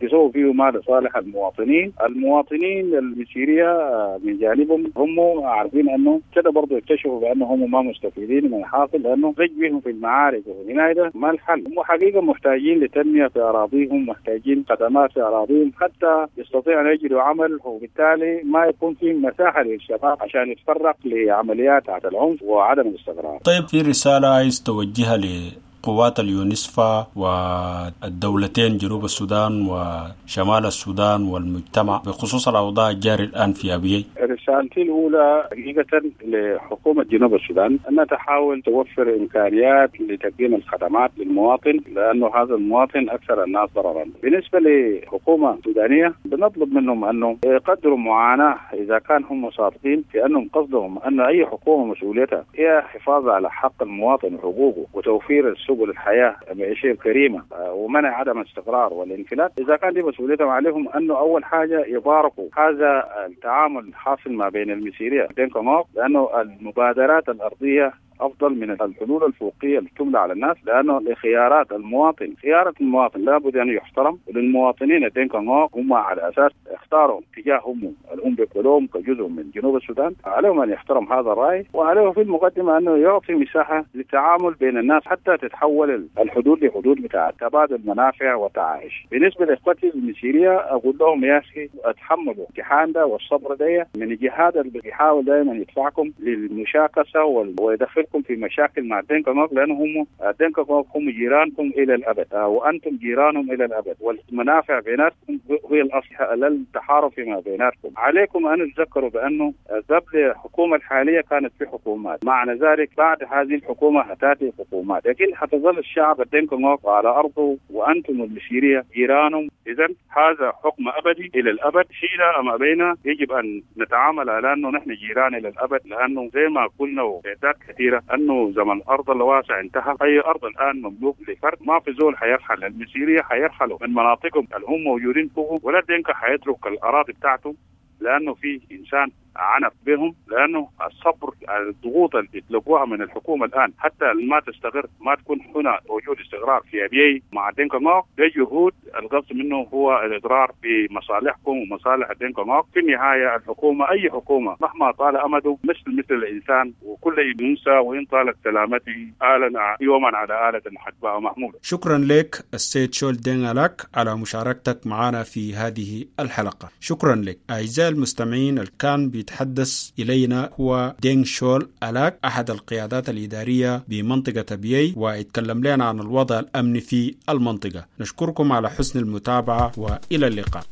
بيسووا فيه ما لصالح المواطنين. المواطنين المسيريه من جانبهم هم عارفين انه كده برضه يكتشفوا بانه هم ما مستفيدين من الحاصل، لانه رج بهم في المعارك وهنا ده ما الحل. هم حقيقة محتاجين لتنميه في اراضيهم، محتاجين خدمات في اراضيهم حتى يستطيعوا ان يجدوا عمل، وبالتالي ما يكون في مساحة للشباب عشان يتفرق لعمليات العنف وعدم الاستقرار. طيب في رسالة عايز توجهها لقوات اليونسفا والدولتين جنوب السودان وشمال السودان والمجتمع بخصوص الأوضاع الجاري الآن في أبيي؟ رسالتي الأولى حقيقة لحكومة جنوب السودان أنها تحاول توفر إمكانيات لتقديم الخدمات للمواطن، لأنه هذا المواطن أكثر الناس ضررا. بالنسبة لحكومة السودانية بنطلب منهم أنه يقدروا معاناة إذا كان هم صادقين في أنهم قصدهم أن أي حكومة مسؤوليتها هي حفاظ على حق المواطن وحقوقه وتوفير سبل الحياة المعيشية الكريمة ومنع عدم الاستقرار والانفلات. إذا كان دي مسؤوليتهم عليهم أنه أول حاجة يباركوا هذا التعامل الحاصل ما بين المسيرية دينكا نوك، لأنه المبادرات الأرضية أفضل من الحلول الفوقية اللي تملى على الناس، لأنه لخيارات المواطن، خيارات المواطن لابد أن يحترم، وللمواطنين الدينكا نوك هم على أساس اختاروا اتجاههم الأم بكلهم كجزء من جنوب السودان، عليهم أن يحترم هذا الرأي، وعليه في المقدمة أنه يعطي مساحة للتعامل بين الناس حتى تتحول الحدود لحدود بتاع تبادل منافع وتعايش. بالنسبة لإخوتي المسيرية أقول لهم يا أخي اتحملوا الامتحان ده والصبر ده من الجهاد اللي بيحاول دائما يدفعكم للمشاكسة ويدخلكم تدخلكم في مشاكل مع دينكا نوك، لانه هم دينكا نوك هم جيرانكم الى الابد، وانتم جيرانهم الى الابد، والمنافع بيناتكم هي الاصل للتحارب فيما بيناتكم. عليكم ان تتذكروا بانه قبل الحكومة الحالية كانت في حكومات، معنى ذلك بعد هذه الحكومة حتاتي حكومات، لكن حتظل الشعب الدينكا نوك على ارضه وانتم المسيريه جيرانهم. اذا هذا حكم ابدي الى الابد، شئنا ام ابينا يجب ان نتعامل على انه نحن جيران الى الابد، لانه زي ما قلنا وإعداد كثيرة انه زمن الارض الواسع انتهى، اي ارض الان مملوك لفرد، ما في زول حيرحل، المسيريه حيرحلوا من مناطقهم اللي هم موجودين فوق، ولا دينكا حيترك الاراضي بتاعته لانه في انسان عنف بهم، لانه الصبر الضغوط اللي بيتلقوها من الحكومة الان حتى ما تستقر، ما تكون هنا وجود استقرار في ابيي مع دينكا نوك، ده جهود القصد منه هو الاضرار بمصالحكم ومصالح دينكا نوك. في النهاية الحكومة اي حكومة مهما طال امده مثل الانسان، وكل ينسى وان طالت سلامته آلا يوما على آلة حدباء محمولة. شكرا لك السيد شول دينغ على مشاركتك معنا في هذه الحلقة. شكرا لك. أعزائي المستمعين، اللي كان بيتحدث إلينا هو دينغ شول ألاك، أحد القيادات الإدارية بمنطقة أبيي، ويتكلم لنا عن الوضع الأمني في المنطقة. نشكركم على حسن المتابعة وإلى اللقاء.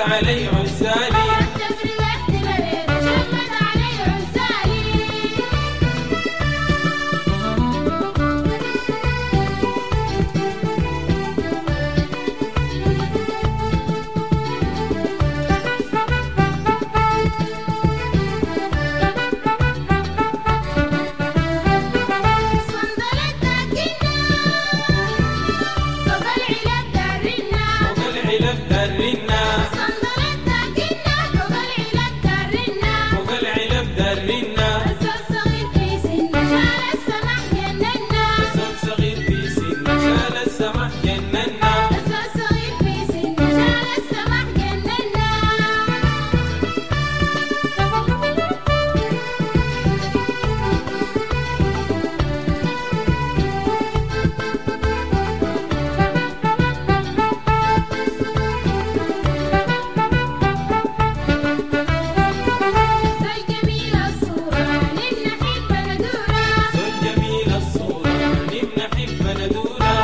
علي عزالي. جميل الصورة نبنى حب ندورة.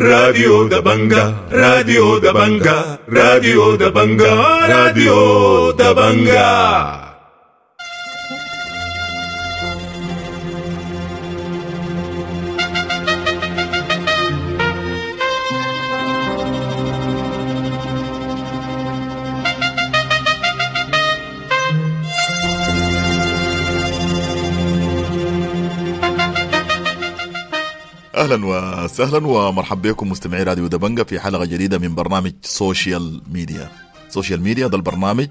راديو دبنجا، راديو دبنجا، راديو دبنجا، راديو دبنجا. اهلا وسهلا ومرحبا بكم مستمعي راديو دبنجة في حلقة جديدة من برنامج social media. social media ده البرنامج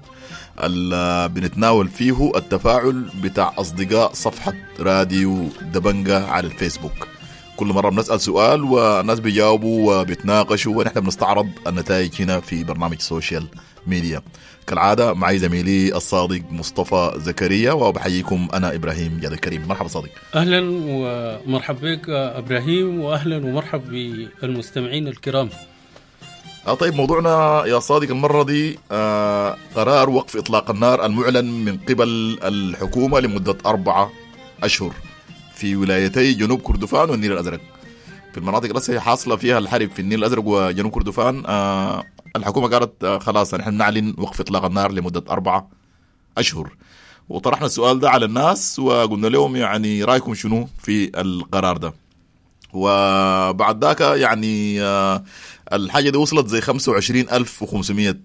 اللي بنتناول فيه التفاعل بتاع اصدقاء صفحة راديو دبنجة على الفيسبوك. كل مرة بنسال سؤال والناس بيجاوبوا وبيتناقشوا، ونحن بنستعرض النتائج هنا في برنامج social media. كالعادة معي زميلي الصادق مصطفى زكريا، وبحييكم انا ابراهيم جاد الكريم. مرحبا صادق. اهلا ومرحبا بك ابراهيم، واهلا ومرحبا بالمستمعين الكرام. طيب، موضوعنا يا صادق المرة دي قرار وقف اطلاق النار المعلن من قبل الحكومة لمدة 4 أشهر في ولايتي جنوب كردفان والنيل الازرق. في المناطق اللي حاصله فيها الحرب في النيل الازرق وجنوب كردفان، الحكومة قالت خلاص نحن نعلن وقف اطلاق النار لمدة 4 أشهر. وطرحنا السؤال ده على الناس وقلنا لهم يعني رايكم شنو في القرار ده. وبعد ذاك يعني الحاجة دي وصلت زي 25,500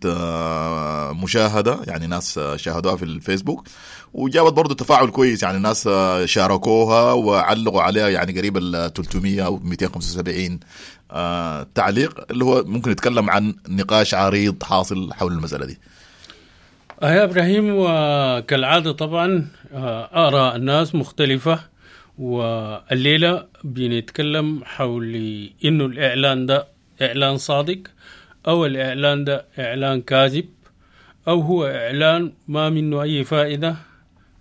مشاهده، يعني ناس شاهدوها في الفيسبوك، وجابت برضو تفاعل كويس، يعني ناس شاركوها وعلقوا عليها يعني قريب ال 300 او 275 تعليق، اللي هو ممكن يتكلم عن نقاش عريض حاصل حول المسألة دي. يا إبراهيم، وكالعادة طبعا آراء الناس مختلفة، والليلة بنتكلم حول إنه الإعلان ده إعلان صادق، أو الإعلان ده إعلان كاذب، أو هو إعلان ما منه أي فائدة،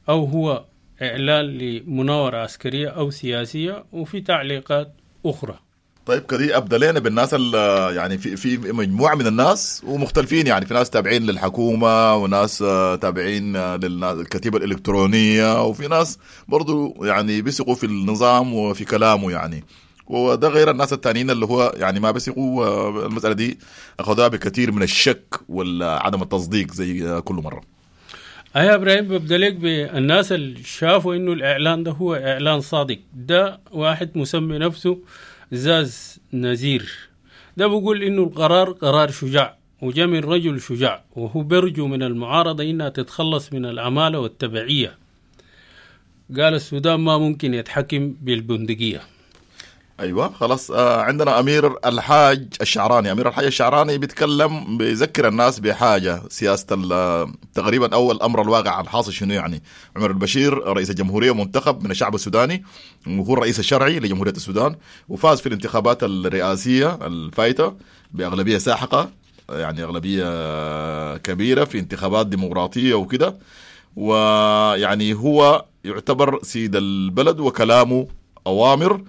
أو هو إعلان لمناورة عسكرية أو سياسية، وفي تعليقات أخرى. طيب كده ابدا لنا بالناس اللي يعني في مجموعة من الناس ومختلفين، يعني في ناس تابعين للحكومة، وناس تابعين للكتيبة الالكترونية، وفي ناس برضو يعني بيثقوا في النظام وفي كلامه يعني، وده غير الناس التانيين اللي هو يعني ما بيثقوا. المسالة دي اخذوها بكثير من الشك وعدم التصديق زي كل مرة. يا ابراهيم، ببدا لك بالناس اللي شافوا انه الاعلان ده هو اعلان صادق. ده واحد مسمي نفسه زاز نزير، ده بيقول إنه القرار قرار شجاع وجاء من رجل شجاع، وهو بيرجو من المعارضة إنها تتخلص من العمالة والتبعية. قال السودان ما ممكن يتحكم بالبندقية. ايوه خلاص. عندنا امير الحاج الشعراني. امير الحاج الشعراني بيتكلم، بيذكر الناس بحاجة سياسة تقريبا اول امر الواقع الحاصل شنو يعني. عمر البشير رئيس الجمهورية منتخب من الشعب السوداني، وهو الرئيس الشرعي لجمهوريه السودان، وفاز في الانتخابات الرئاسية الفايته باغلبيه ساحقة، يعني اغلبية كبيرة في انتخابات ديمقراطية وكده، ويعني هو يعتبر سيد البلد وكلامه اوامر.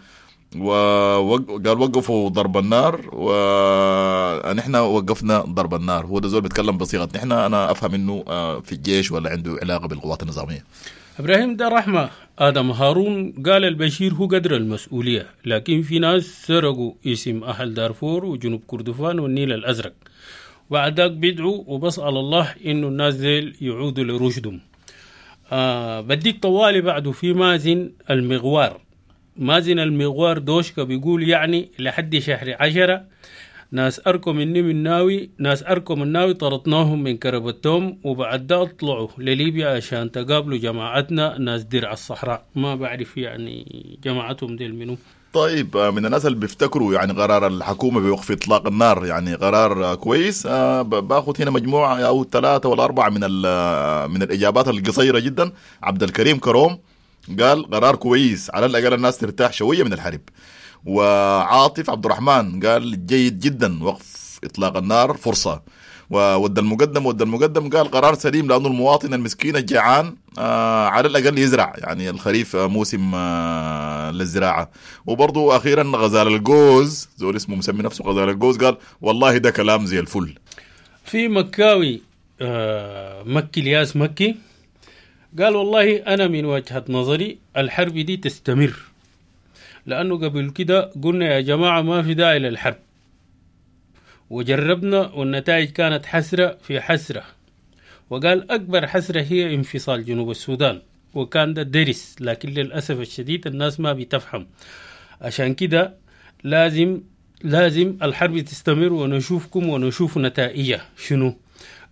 وقال وقفوا ضرب النار، ونحن وقفنا ضرب النار. هو ده زول بيتكلم بصيغة نحن، انا افهم انه في الجيش ولا عنده علاقة بالقوات النظامية. ابراهيم، ده رحمه ادم هارون قال البشير هو قدر المسؤولية، لكن في ناس سرقوا اسم اهل دارفور وجنوب كردفان والنيل الازرق، بعد ذاك بيدعوا وبسأل الله انه الناس ديل يعودوا لرشدهم. بديك طوالي بعده في مازن المغوار. مازن المغوار دوشكا بيقول يعني لحد شهر 10 ناس أركم مني من ناوي، ناس أركم الناوي طردناهم من كربتهم، وبعد ده طلعوا لليبيا عشان تقابلوا جماعتنا ناس درع الصحراء. ما بعرف يعني جماعتهم ديل منو. طيب، من الناس اللي بيفتكروا يعني قرار الحكومة بوقف إطلاق النار يعني قرار كويس، باخذ هنا مجموعة أو 3 ولا 4 من الإجابات القصيرة جدا. عبد الكريم كروم قال قرار كويس، على الأقل الناس ترتاح شوية من الحرب. وعاطف عبد الرحمن قال جيد جدا، وقف إطلاق النار فرصة. وود المقدم، ود المقدم قال قرار سليم، لأنه المواطن المسكين الجيعان على الأقل يزرع، يعني الخريف موسم للزراعة. وبرضو أخيرا غزال الجوز، زول اسمه مسمي نفسه غزال الجوز، قال والله ده كلام زي الفل. في مكاوي مكي الياس مكي قال والله أنا من وجهة نظري الحرب دي تستمر، لأنه قبل كده قلنا يا جماعة ما في داعي للحرب، وجربنا والنتائج كانت حسرة في حسرة. وقال أكبر حسرة هي انفصال جنوب السودان، وكان ده درس، لكن للأسف الشديد الناس ما بتفهم. عشان كده لازم الحرب تستمر ونشوفكم ونشوف نتائجها شنو.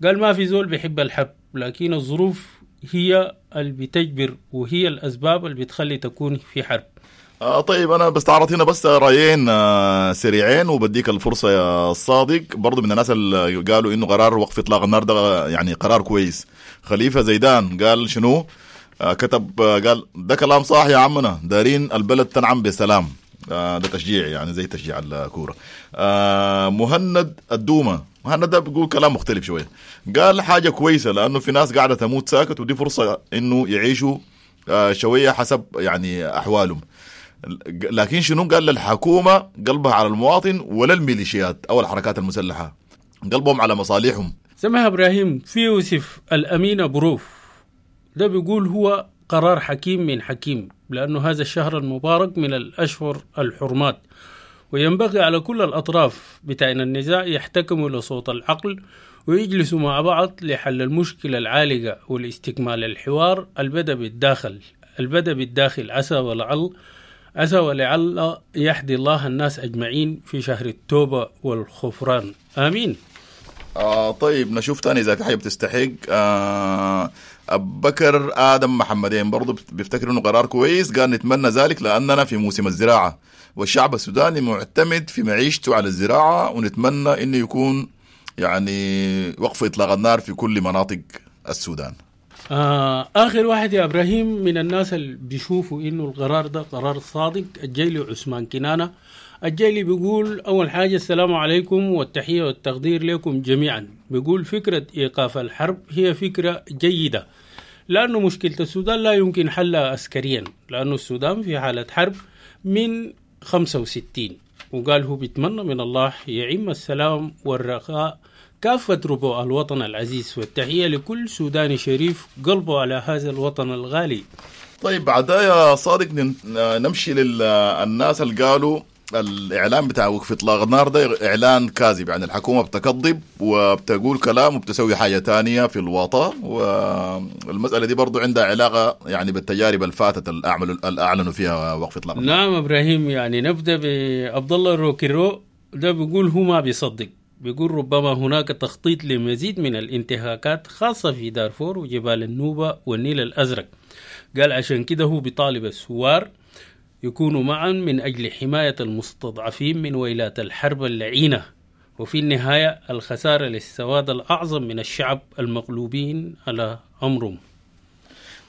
قال ما في زول بيحب الحرب، لكن الظروف هي اللي بتجبر وهي الأسباب اللي بتخلي تكون في حرب. طيب أنا بستعرض هنا بس رأيين سريعين وبديك الفرصة يا صادق. برضو من الناس اللي قالوا إنه قرار وقف إطلاق النار ده يعني قرار كويس. خليفة زيدان قال شنو؟ كتب قال ده كلام صح يا عمنا، دارين البلد تنعم بسلام. ده تشجيع يعني زي تشجيع الكورة. مهند الدومة، مهند ده بيقول كلام مختلف شوية، قال حاجة كويسة لأنه في ناس قاعدة تموت ساكت، ودي فرصة إنه يعيشوا شوية حسب يعني أحوالهم. لكن شنو قال؟ للحكومة قلبها على المواطن ولا الميليشيات أو الحركات المسلحة، قلبهم على مصالحهم. سمح إبراهيم. في يوسف الأمين بروف ده بيقول هو قرار حكيم من حكيم، لأنه هذا الشهر المبارك من الأشهر الحرمات، وينبغي على كل الأطراف بتاعنا النزاع يحتكموا لصوت العقل ويجلسوا مع بعض لحل المشكلة العالقة والاستكمال الحوار البدأ بالداخل، عسى ولعل يهدي الله الناس أجمعين في شهر التوبة والغفران، آمين. طيب نشوف تاني إذا في حاجة بتستحق. أبو بكر آدم محمدين برضو بيفتكر إنه قرار كويس، قال نتمنى ذلك لأننا في موسم الزراعة والشعب السوداني معتمد في معيشته على الزراعة، ونتمنى إنه يكون يعني وقف إطلاق النار في كل مناطق السودان. آخر واحد يا إبراهيم من الناس اللي بيشوفوا إنه القرار ده قرار صادق، الجيلي عثمان كنانة. الجيلي بيقول أول حاجة السلام عليكم والتحية والتقدير لكم جميعا. بيقول فكرة إيقاف الحرب هي فكرة جيدة، لأنه مشكلة السودان لا يمكن حلها عسكريا، لأنه السودان في حالة حرب من 65. وقال هو بيتمنى من الله يعم السلام والرخاء كافة ربوع الوطن العزيز، والتحية لكل سوداني شريف قلبه على هذا الوطن الغالي. طيب بعدها يا صادق نمشي للناس اللي قالوا الإعلان بتاع وقف إطلاق النار ده إعلان كاذب، يعني الحكومة بتكذب وبتقول كلام وبتسوي حاجة تانية في الوطن، والمسألة دي برضو عندها علاقة يعني بالتجارب الفاتت اللي أعلنوا فيها وقف إطلاق النار. نعم إبراهيم، يعني نبدأ بعبد الله روكيرو. ده بيقول هو ما بيصدق، بيقول ربما هناك تخطيط لمزيد من الانتهاكات خاصة في دارفور وجبال النوبة والنيل الأزرق. قال عشان كده هو بيطالب الثوار يكونوا معا من أجل حماية المستضعفين من ويلات الحرب اللعينة، وفي النهاية الخسارة للسواد الأعظم من الشعب المغلوبين على أمرهم.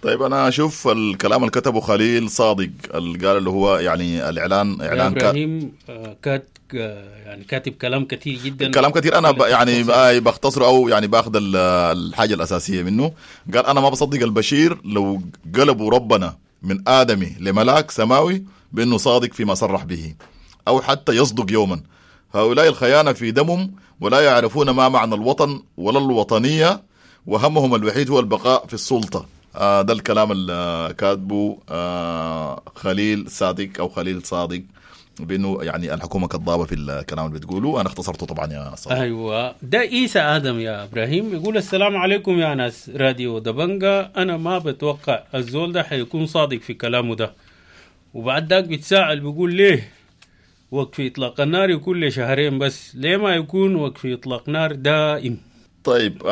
طيب أنا أشوف الكلام اللي كتبه خليل صادق اللي قال اللي هو يعني الإعلان إعلان إبراهيم يعني كاتب كلام كثير جدا، كلام كثير. أنا يعني بختصره أو يعني باخذ الحاجة الأساسية منه. قال أنا ما بصدق البشير لو قلبوا ربنا من آدمي لملاك سماوي بأنه صادق فيما صرح به أو حتى يصدق يوما. هؤلاء الخيانة في دمهم ولا يعرفون ما معنى الوطن ولا الوطنية، وهمهم الوحيد هو البقاء في السلطة. ده الكلام اللي كاتبه خليل صادق أو خليل صادق، بأنه يعني الحكومة كذابة في الكلام اللي بتقوله. أنا اختصرته طبعا يا صادق. أيوة ده إيسى آدم يا إبراهيم يقول السلام عليكم يا ناس راديو دبنجا، أنا ما بتوقع الزول ده حيكون صادق في كلامه ده. وبعد ذاك بيتساءل بيقول ليه وقف إطلاق النار يكون لشهرين بس، ليه ما يكون وقف إطلاق نار دائم؟ طيب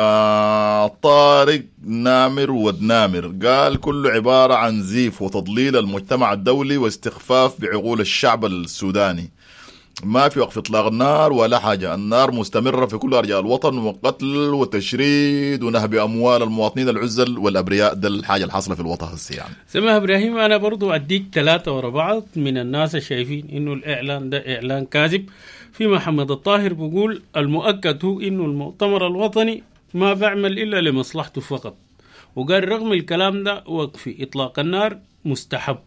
طارق نامر ودنامر قال كله عبارة عن زيف وتضليل المجتمع الدولي واستخفاف بعقول الشعب السوداني. ما في وقف إطلاق النار ولا حاجة، النار مستمرة في كل أرجاء الوطن، وقتل وتشريد ونهب أموال المواطنين العزل والأبرياء. ده الحاجة الحاصلة في الوطن هسه يعني. سمع إبراهيم، أنا برضو أديك 3 ورا بعض من الناس الشايفين إنه الإعلان ده إعلان كاذب. في محمد الطاهر بيقول المؤكد هو إنه المؤتمر الوطني ما بعمل إلا لمصلحته فقط، وقال رغم الكلام ده وقف إطلاق النار مستحب.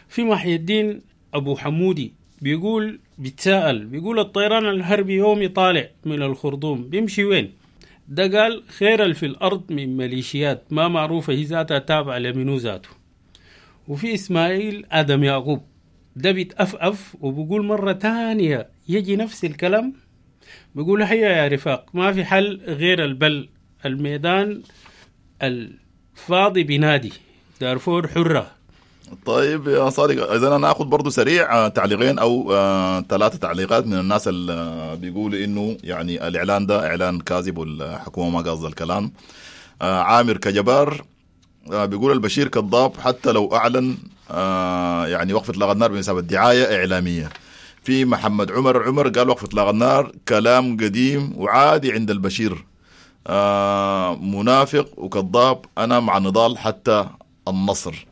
في محي الدين أبو حمودي بيقول بيتساءل بيقول الطيران الحربي يومي طالع من الخرطوم بيمشي وين؟ ده قال خير في الأرض من ميليشيات ما معروفة هي ذاتها تابعة لمنو ذاته. وفي إسماعيل آدم يعقوب ده بيتأفأف وبيقول مرة تانية يجي نفس الكلام. بيقول هيا يا رفاق، ما في حل غير البل، الميدان الفاضي بنادي، دارفور حرة. طيب يا صادق، اذا انا اخذ برضو سريع تعليقين او 3 تعليقات من الناس اللي بيقولوا انه يعني الاعلان ده اعلان كاذب والحكومة ما قاصده الكلام. عامر كجبار بيقول البشير كذاب حتى لو اعلن يعني وقف اطلاق النار بمثابة دعاية اعلامية. في محمد عمر قال وقف اطلاق النار كلام قديم وعادي عند البشير، منافق وكذاب، انا مع النضال حتى النصر.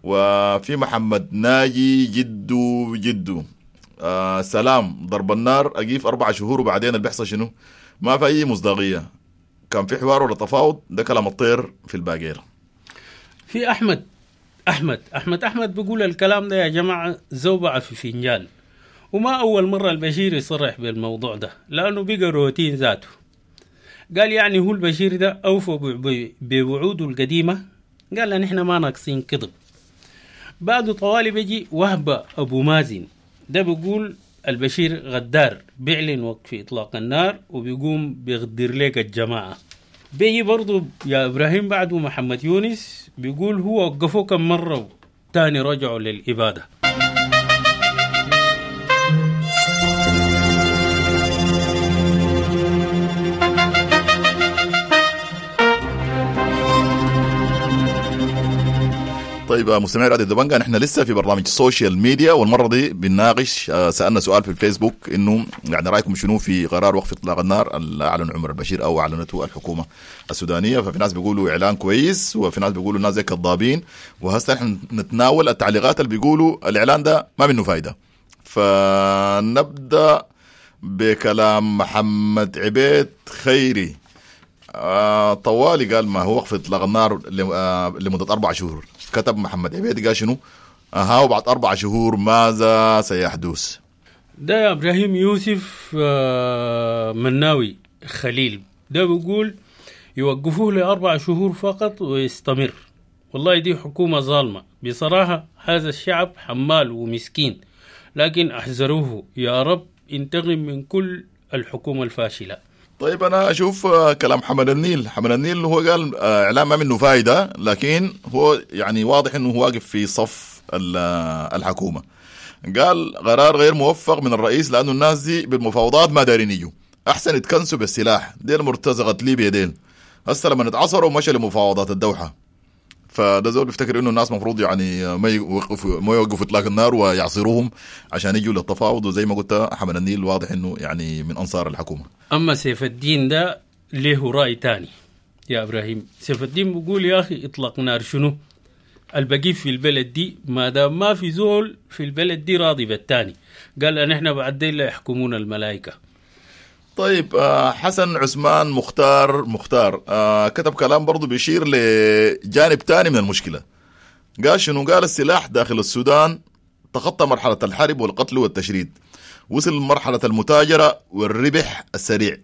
وفي محمد ناجي جدو سلام، ضرب النار أقيف 4 شهور وبعدين اللي بيحصل شنو؟ ما في أي مصداقية، كان في حوار ولا تفاوض، ده كلام الطير في الباقير. في أحمد أحمد أحمد أحمد بيقول الكلام ده يا جماعة زوبعة في فنجان، وما أول مرة البشير يصرح بالموضوع ده لأنه بقى روتين ذاته. قال يعني هو البشير ده أوفى بوعوده القديمة، قال نحن ما ناقصين كذب. بعد طوالي بيجي وهبة أبو مازن، ده بيقول البشير غدار، بيعلن وقف إطلاق النار وبيقوم بيغدر لك الجماعة. بيجي برضو يا إبراهيم بعده محمد يونس بيقول هو وقفوه كم مرة تاني رجعوا للإبادة. طيب مستمعي راديو دبنجا، نحن لسه في برنامج ال social media، والمرة دي بنناقش سالنا سؤال في الفيسبوك انه يعني رايكم شنو في قرار وقف اطلاق النار اللي اعلن عمر البشير او اعلنته الحكومة السودانية. ففي ناس بيقولوا اعلان كويس، وفي ناس بيقولوا الناس زي كذابين، وهسه نحن نتناول التعليقات اللي بيقولوا الاعلان ده ما منه فايده. فنبدا بكلام محمد عبيد خيري. طوالي قال ما هو وقف اطلاق النار لمدة 4 شهور. كتب محمد عبيد قال شنو؟ وبعد 4 شهور ماذا سيحدث؟ ده يا ابراهيم يوسف مناوي خليل، ده بيقول يوقفوه ل4 شهور فقط ويستمر. والله دي حكومة ظالمة بصراحة، هذا الشعب حمال ومسكين، لكن احذروه يا رب انتقم من كل الحكومة الفاشلة. طيب أنا أشوف كلام حمد النيل. حمد النيل هو قال إعلام ما منه فايدة، لكن هو يعني واضح أنه هو واقف في صف الحكومة. قال قرار غير موفق من الرئيس لأنه الناس دي بالمفاوضات ما دارين يجوا، أحسن يتكنسوا بالسلاح، ديل مرتزقة ليبيا ديل، هسه لما نتعصروا مشى لمفاوضات الدوحة. فده زول بيفتكر انه الناس مفروض يعني ما يوقفوا اطلاق النار ويعصروهم عشان يجوا للتفاوض. وزي ما قلت حمد النيل واضح انه يعني من انصار الحكومة. اما سيف الدين ده له راي تاني يا ابراهيم. سيف الدين بيقول يا اخي اطلاق نار شنو؟ البقي في البلد دي ما دام ما في زول في البلد دي راضي بالتاني. قال ان احنا بعدين لا يحكمون الملائكة. طيب حسن عثمان مختار كتب كلام برضو بيشير لجانب تاني من المشكلة. قال شنو؟ قال السلاح داخل السودان تخطى مرحلة الحرب والقتل والتشريد، وصل مرحلة المتاجرة والربح السريع،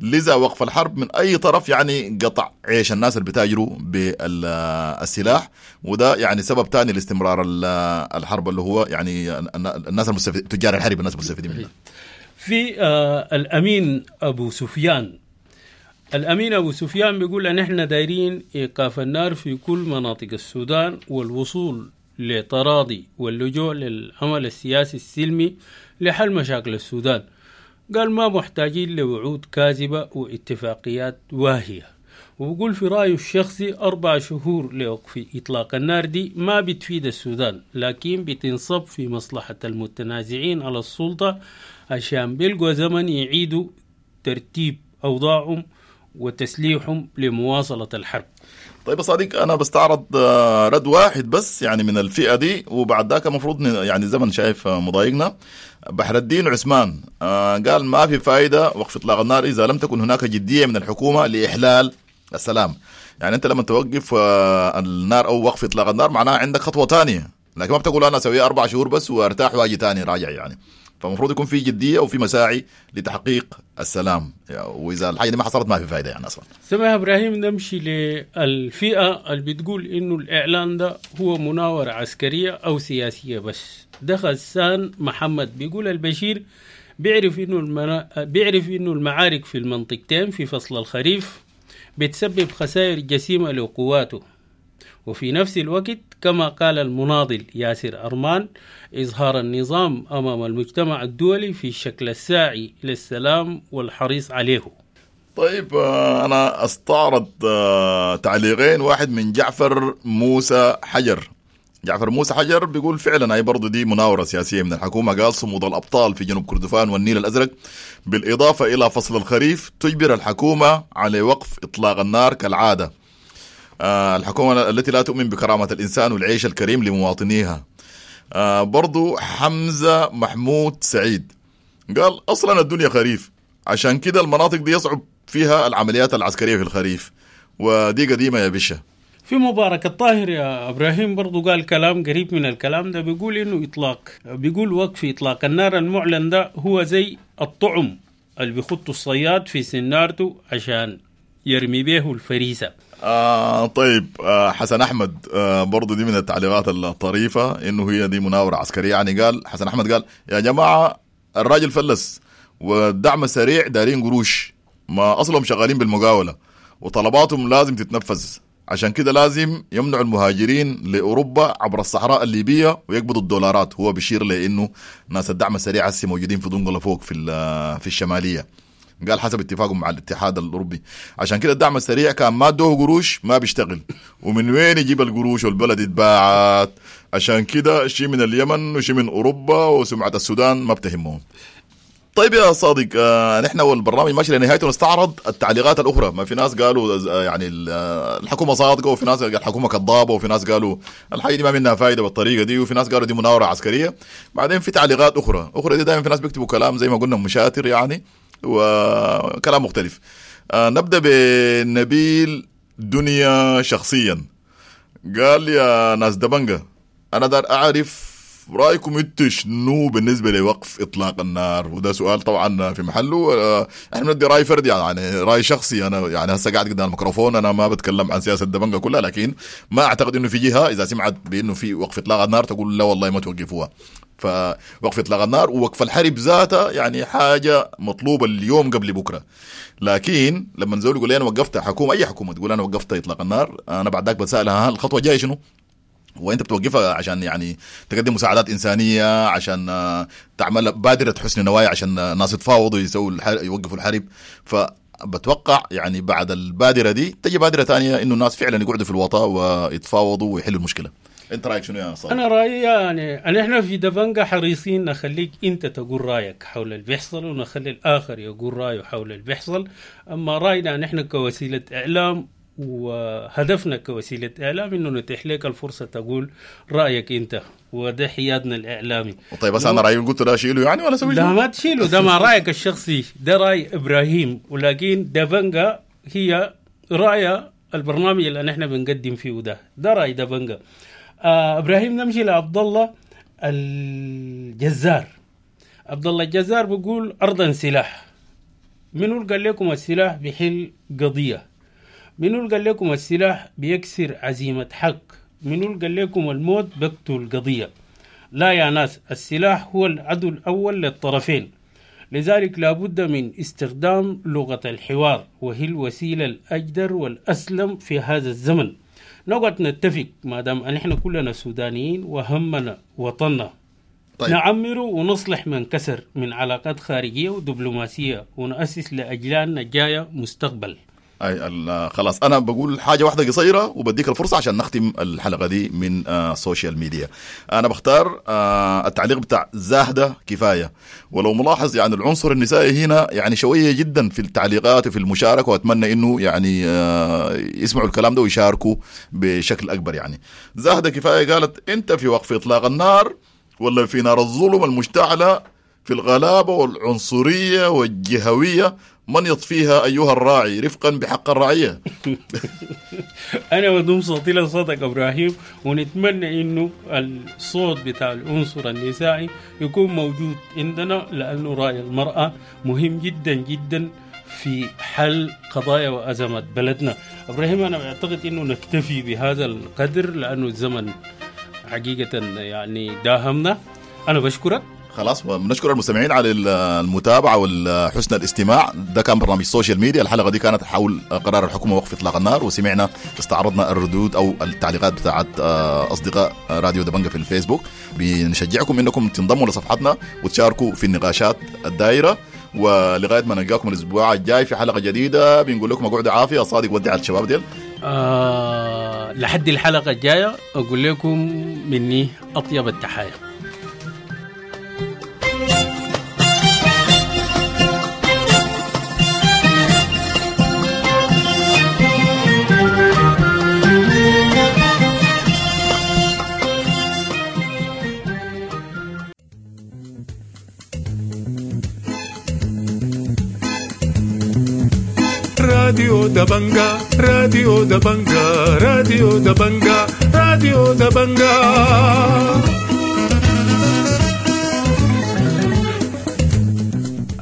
لذا وقف الحرب من أي طرف يعني قطع عيش الناس اللي بتاجروا بالسلاح، وده يعني سبب تاني لاستمرار الحرب اللي هو يعني الناس المستفيد، تجار الحرب الناس المستفيدين منها. في الأمين أبو سفيان، الأمين أبو سفيان بيقول أن إحنا دايرين إيقاف النار في كل مناطق السودان والوصول لتراضي واللجوء للعمل السياسي السلمي لحل مشاكل السودان. قال ما محتاجين لوعود كاذبة واتفاقيات واهية. وبقول في رأيه الشخصي 4 شهور لوقف إطلاق النار دي ما بتفيد السودان، لكن بتنصب في مصلحة المتنازعين على السلطة عشان بيلقوا زمن يعيدوا ترتيب أوضاعهم وتسليحهم لمواصلة الحرب. طيب يا صديق، أنا بستعرض رد واحد بس يعني من الفئة دي، وبعد ذاك المفروض يعني زمن شايف مضايقنا. بحر الدين عثمان قال ما في فائدة وقف إطلاق النار إذا لم تكن هناك جدية من الحكومة لإحلال السلام. يعني أنت لما توقف النار أو وقف إطلاق النار معناها عندك خطوة تانية، لكن ما بتقول أنا أسوي 4 شهور بس وارتاح وأجي تاني راجع يعني. فالمفروض يكون في جدية وفي مساعي لتحقيق السلام، يعني وإذا الحاجة دي ما حصلت ما في فائدة يعني أصلا. سمع إبراهيم، نمشي للفئة اللي بتقول إنه الإعلان ده هو مناورة عسكرية أو سياسية بس. ده غسان محمد بيقول البشير بيعرف إنه المعارك في المنطقتين في فصل الخريف بتسبب خسائر جسيمة لقواته، وفي نفس الوقت كما قال المناضل ياسر أرمان إظهار النظام أمام المجتمع الدولي في شكل الساعي للسلام والحريص عليه. طيب أنا أستعرض تعليقين، واحد من جعفر موسى حجر. جعفر موسى حجر بيقول فعلا هي برضو دي مناورة سياسية من الحكومة. قال صمود الأبطال في جنوب كردفان والنيل الأزرق بالإضافة إلى فصل الخريف تجبر الحكومة على وقف إطلاق النار كالعادة. الحكومة التي لا تؤمن بكرامة الإنسان والعيش الكريم لمواطنيها. برضو حمزة محمود سعيد قال أصلا الدنيا خريف، عشان كده المناطق دي يصعب فيها العمليات العسكرية في الخريف، ودي قديمة يا بشة. في مبارك الطاهر يا إبراهيم برضو قال كلام قريب من الكلام ده، بيقول إنه بيقول وقف إطلاق النار المعلن ده هو زي الطعم اللي بيخطه الصياد في سنارته عشان يرمي به الفريسة. طيب حسن أحمد برضو دي من التعليقات الطريفة إنه هي دي مناورة عسكرية. يعني قال حسن أحمد قال يا جماعة الراجل فلس والدعم السريع دارين قروش، ما أصلهم شغالين بالمقاولة وطلباتهم لازم تتنفذ، عشان كده لازم يمنعوا المهاجرين لأوروبا عبر الصحراء الليبية ويقبضوا الدولارات. هو بيشير لأنه ناس الدعم السريع هسه موجودين في دنقلة فوق في الشمالية، قال حسب اتفاقهم مع الاتحاد الأوروبي، عشان كده الدعم السريع كان ما ادوه قروش ما بيشتغل، ومن وين يجيب القروش والبلد اتباعت، عشان كده شيء من اليمن وشيء من أوروبا وسمعة السودان ما بتهمهم. طيب يا صادق، نحن والبرنامج ماشي لنهايته، نستعرض التعليقات الأخرى. ما في ناس قالوا يعني الحكومة صادقة، وفي ناس قالوا الحكومة كذابة، وفي ناس قالوا الحاجة دي ما منها فايدة بالطريقة دي، وفي ناس قالوا دي مناورة عسكرية. بعدين في تعليقات أخرى دي دائما في ناس بيكتبوا كلام زي ما قلنا مشاتر يعني وكلام مختلف. نبدأ بنبيل دنيا شخصيا، قال يا ناس دبنجة أنا دار أعرف رأيكم انتوا شنو بالنسبة لوقف إطلاق النار؟ وده سؤال طبعا في محله. احنا بندي رأي فردي يعني رأي شخصي، أنا يعني هسه قاعد قدام الميكروفون، أنا ما بتكلم عن سياسة دبنجة كلها، لكن ما أعتقد إنه في جهة إذا سمعت بإنه في وقف إطلاق النار تقول لا والله ما توقفوها. فوقف إطلاق النار ووقف الحرب ذاتها يعني حاجة مطلوبة اليوم قبل بكرة. لكن لما نزول يقول لي أنا وقفت حكومة، أي حكومة تقول أنا وقفت إطلاق النار، أنا بعد ذاك بسألها الخطوة الجاية شنو؟ وانت بتوقفها عشان يعني تقدم مساعدات انسانيه، عشان تعمل بادره حسن نوايا، عشان الناس يتفاوضوا يسووا يوقفوا الحرب. فبتوقع يعني بعد البادرة دي تجي بادره ثانية انه الناس فعلا يقعدوا في الوطا ويتفاوضوا ويحلوا المشكلة. انت رايك شنو يا صالح؟ انا رايي يعني احنا في دبنجة حريصين نخليك انت تقول رايك حول اللي بيحصل، ونخلي الاخر يقول رايه حول اللي بيحصل. اما راينا نحن كوسيلة اعلام وهدفنا كوسيلة إعلام إنه نتيح لك الفرصة تقول رأيك أنت، وده حيادنا الإعلامي. طيب بس أنا رأيي قلت لا شيله يعني ولا سوي؟ لا ما تشيله، ده ما رأيك الشخصي، ده رأي إبراهيم، ولكن دبنجة هي رأي البرنامج اللي نحن بنقدم فيه، ده رأي دبنجة. إبراهيم نمشي لعبد الله الجزار. عبد الله الجزار بيقول أرضا سلاح. منو قال لكم السلاح بيحل قضية؟ منو قال لكم السلاح بيكسر عزيمة حق؟ منو قال لكم الموت بقتل قضية؟ لا يا ناس، السلاح هو العدو الأول للطرفين، لذلك لابد من استخدام لغة الحوار، وهي الوسيلة الأجدر والأسلم في هذا الزمن. نقعد نتفق ما دام نحن كلنا سودانيين وهمنا وطننا. طيب. نعمر ونصلح من كسر من علاقات خارجية ودبلوماسية، ونأسس لأجيالنا الجاية مستقبل. أي خلاص أنا بقول حاجة واحدة قصيرة وبديك الفرصة عشان نختم الحلقة دي من ال social media. أنا بختار التعليق بتاع زاهدة كفاية. ولو ملاحظ يعني العنصر النسائي هنا يعني شوية جدا في التعليقات وفي المشاركة، وأتمنى إنه يعني يسمعوا الكلام ده ويشاركوا بشكل أكبر. يعني زاهدة كفاية قالت أنت في وقف إطلاق النار ولا في نار الظلم المشتعلة في الغلابة والعنصرية والجهوية، من يطفيها أيها الراعي رفقا بحق الرعية. أنا بدوم صوتي لصوتك إبراهيم، ونتمنى إنه الصوت بتاع العنصر النسائي يكون موجود عندنا، لأنه رأي المرأة مهم جدا جدا في حل قضايا وأزمات بلدنا. إبراهيم أنا أعتقد إنه نكتفي بهذا القدر لأنه الزمن حقيقة يعني داهمنا. أنا بشكرك. خلاص، بنشكر المستمعين على المتابعة وحسن الاستماع. ده كان برنامج social media. الحلقة دي كانت حول قرار الحكومة وقف اطلاق النار، وسمعنا استعرضنا الردود او التعليقات بتاعت اصدقاء راديو دبنجة في الفيسبوك. بنشجعكم انكم تنضموا لصفحتنا وتشاركوا في النقاشات الدائرة. ولغاية ما نلقاكم الاسبوع الجاي في حلقة جديدة، بنقول لكم اقعدوا عافية. صادق ودع الشباب ديل. لحد الحلقة الجاية اقول لكم مني اطيب التحايا. راديو دبنجا، راديو دبنجا، راديو دبنجا، راديو دبنجا.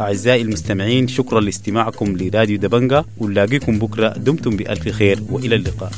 أعزائي المستمعين، شكرا لاستماعكم لراديو دبنجا، ونلاقيكم بكرة. دمتم بألف خير وإلى اللقاء.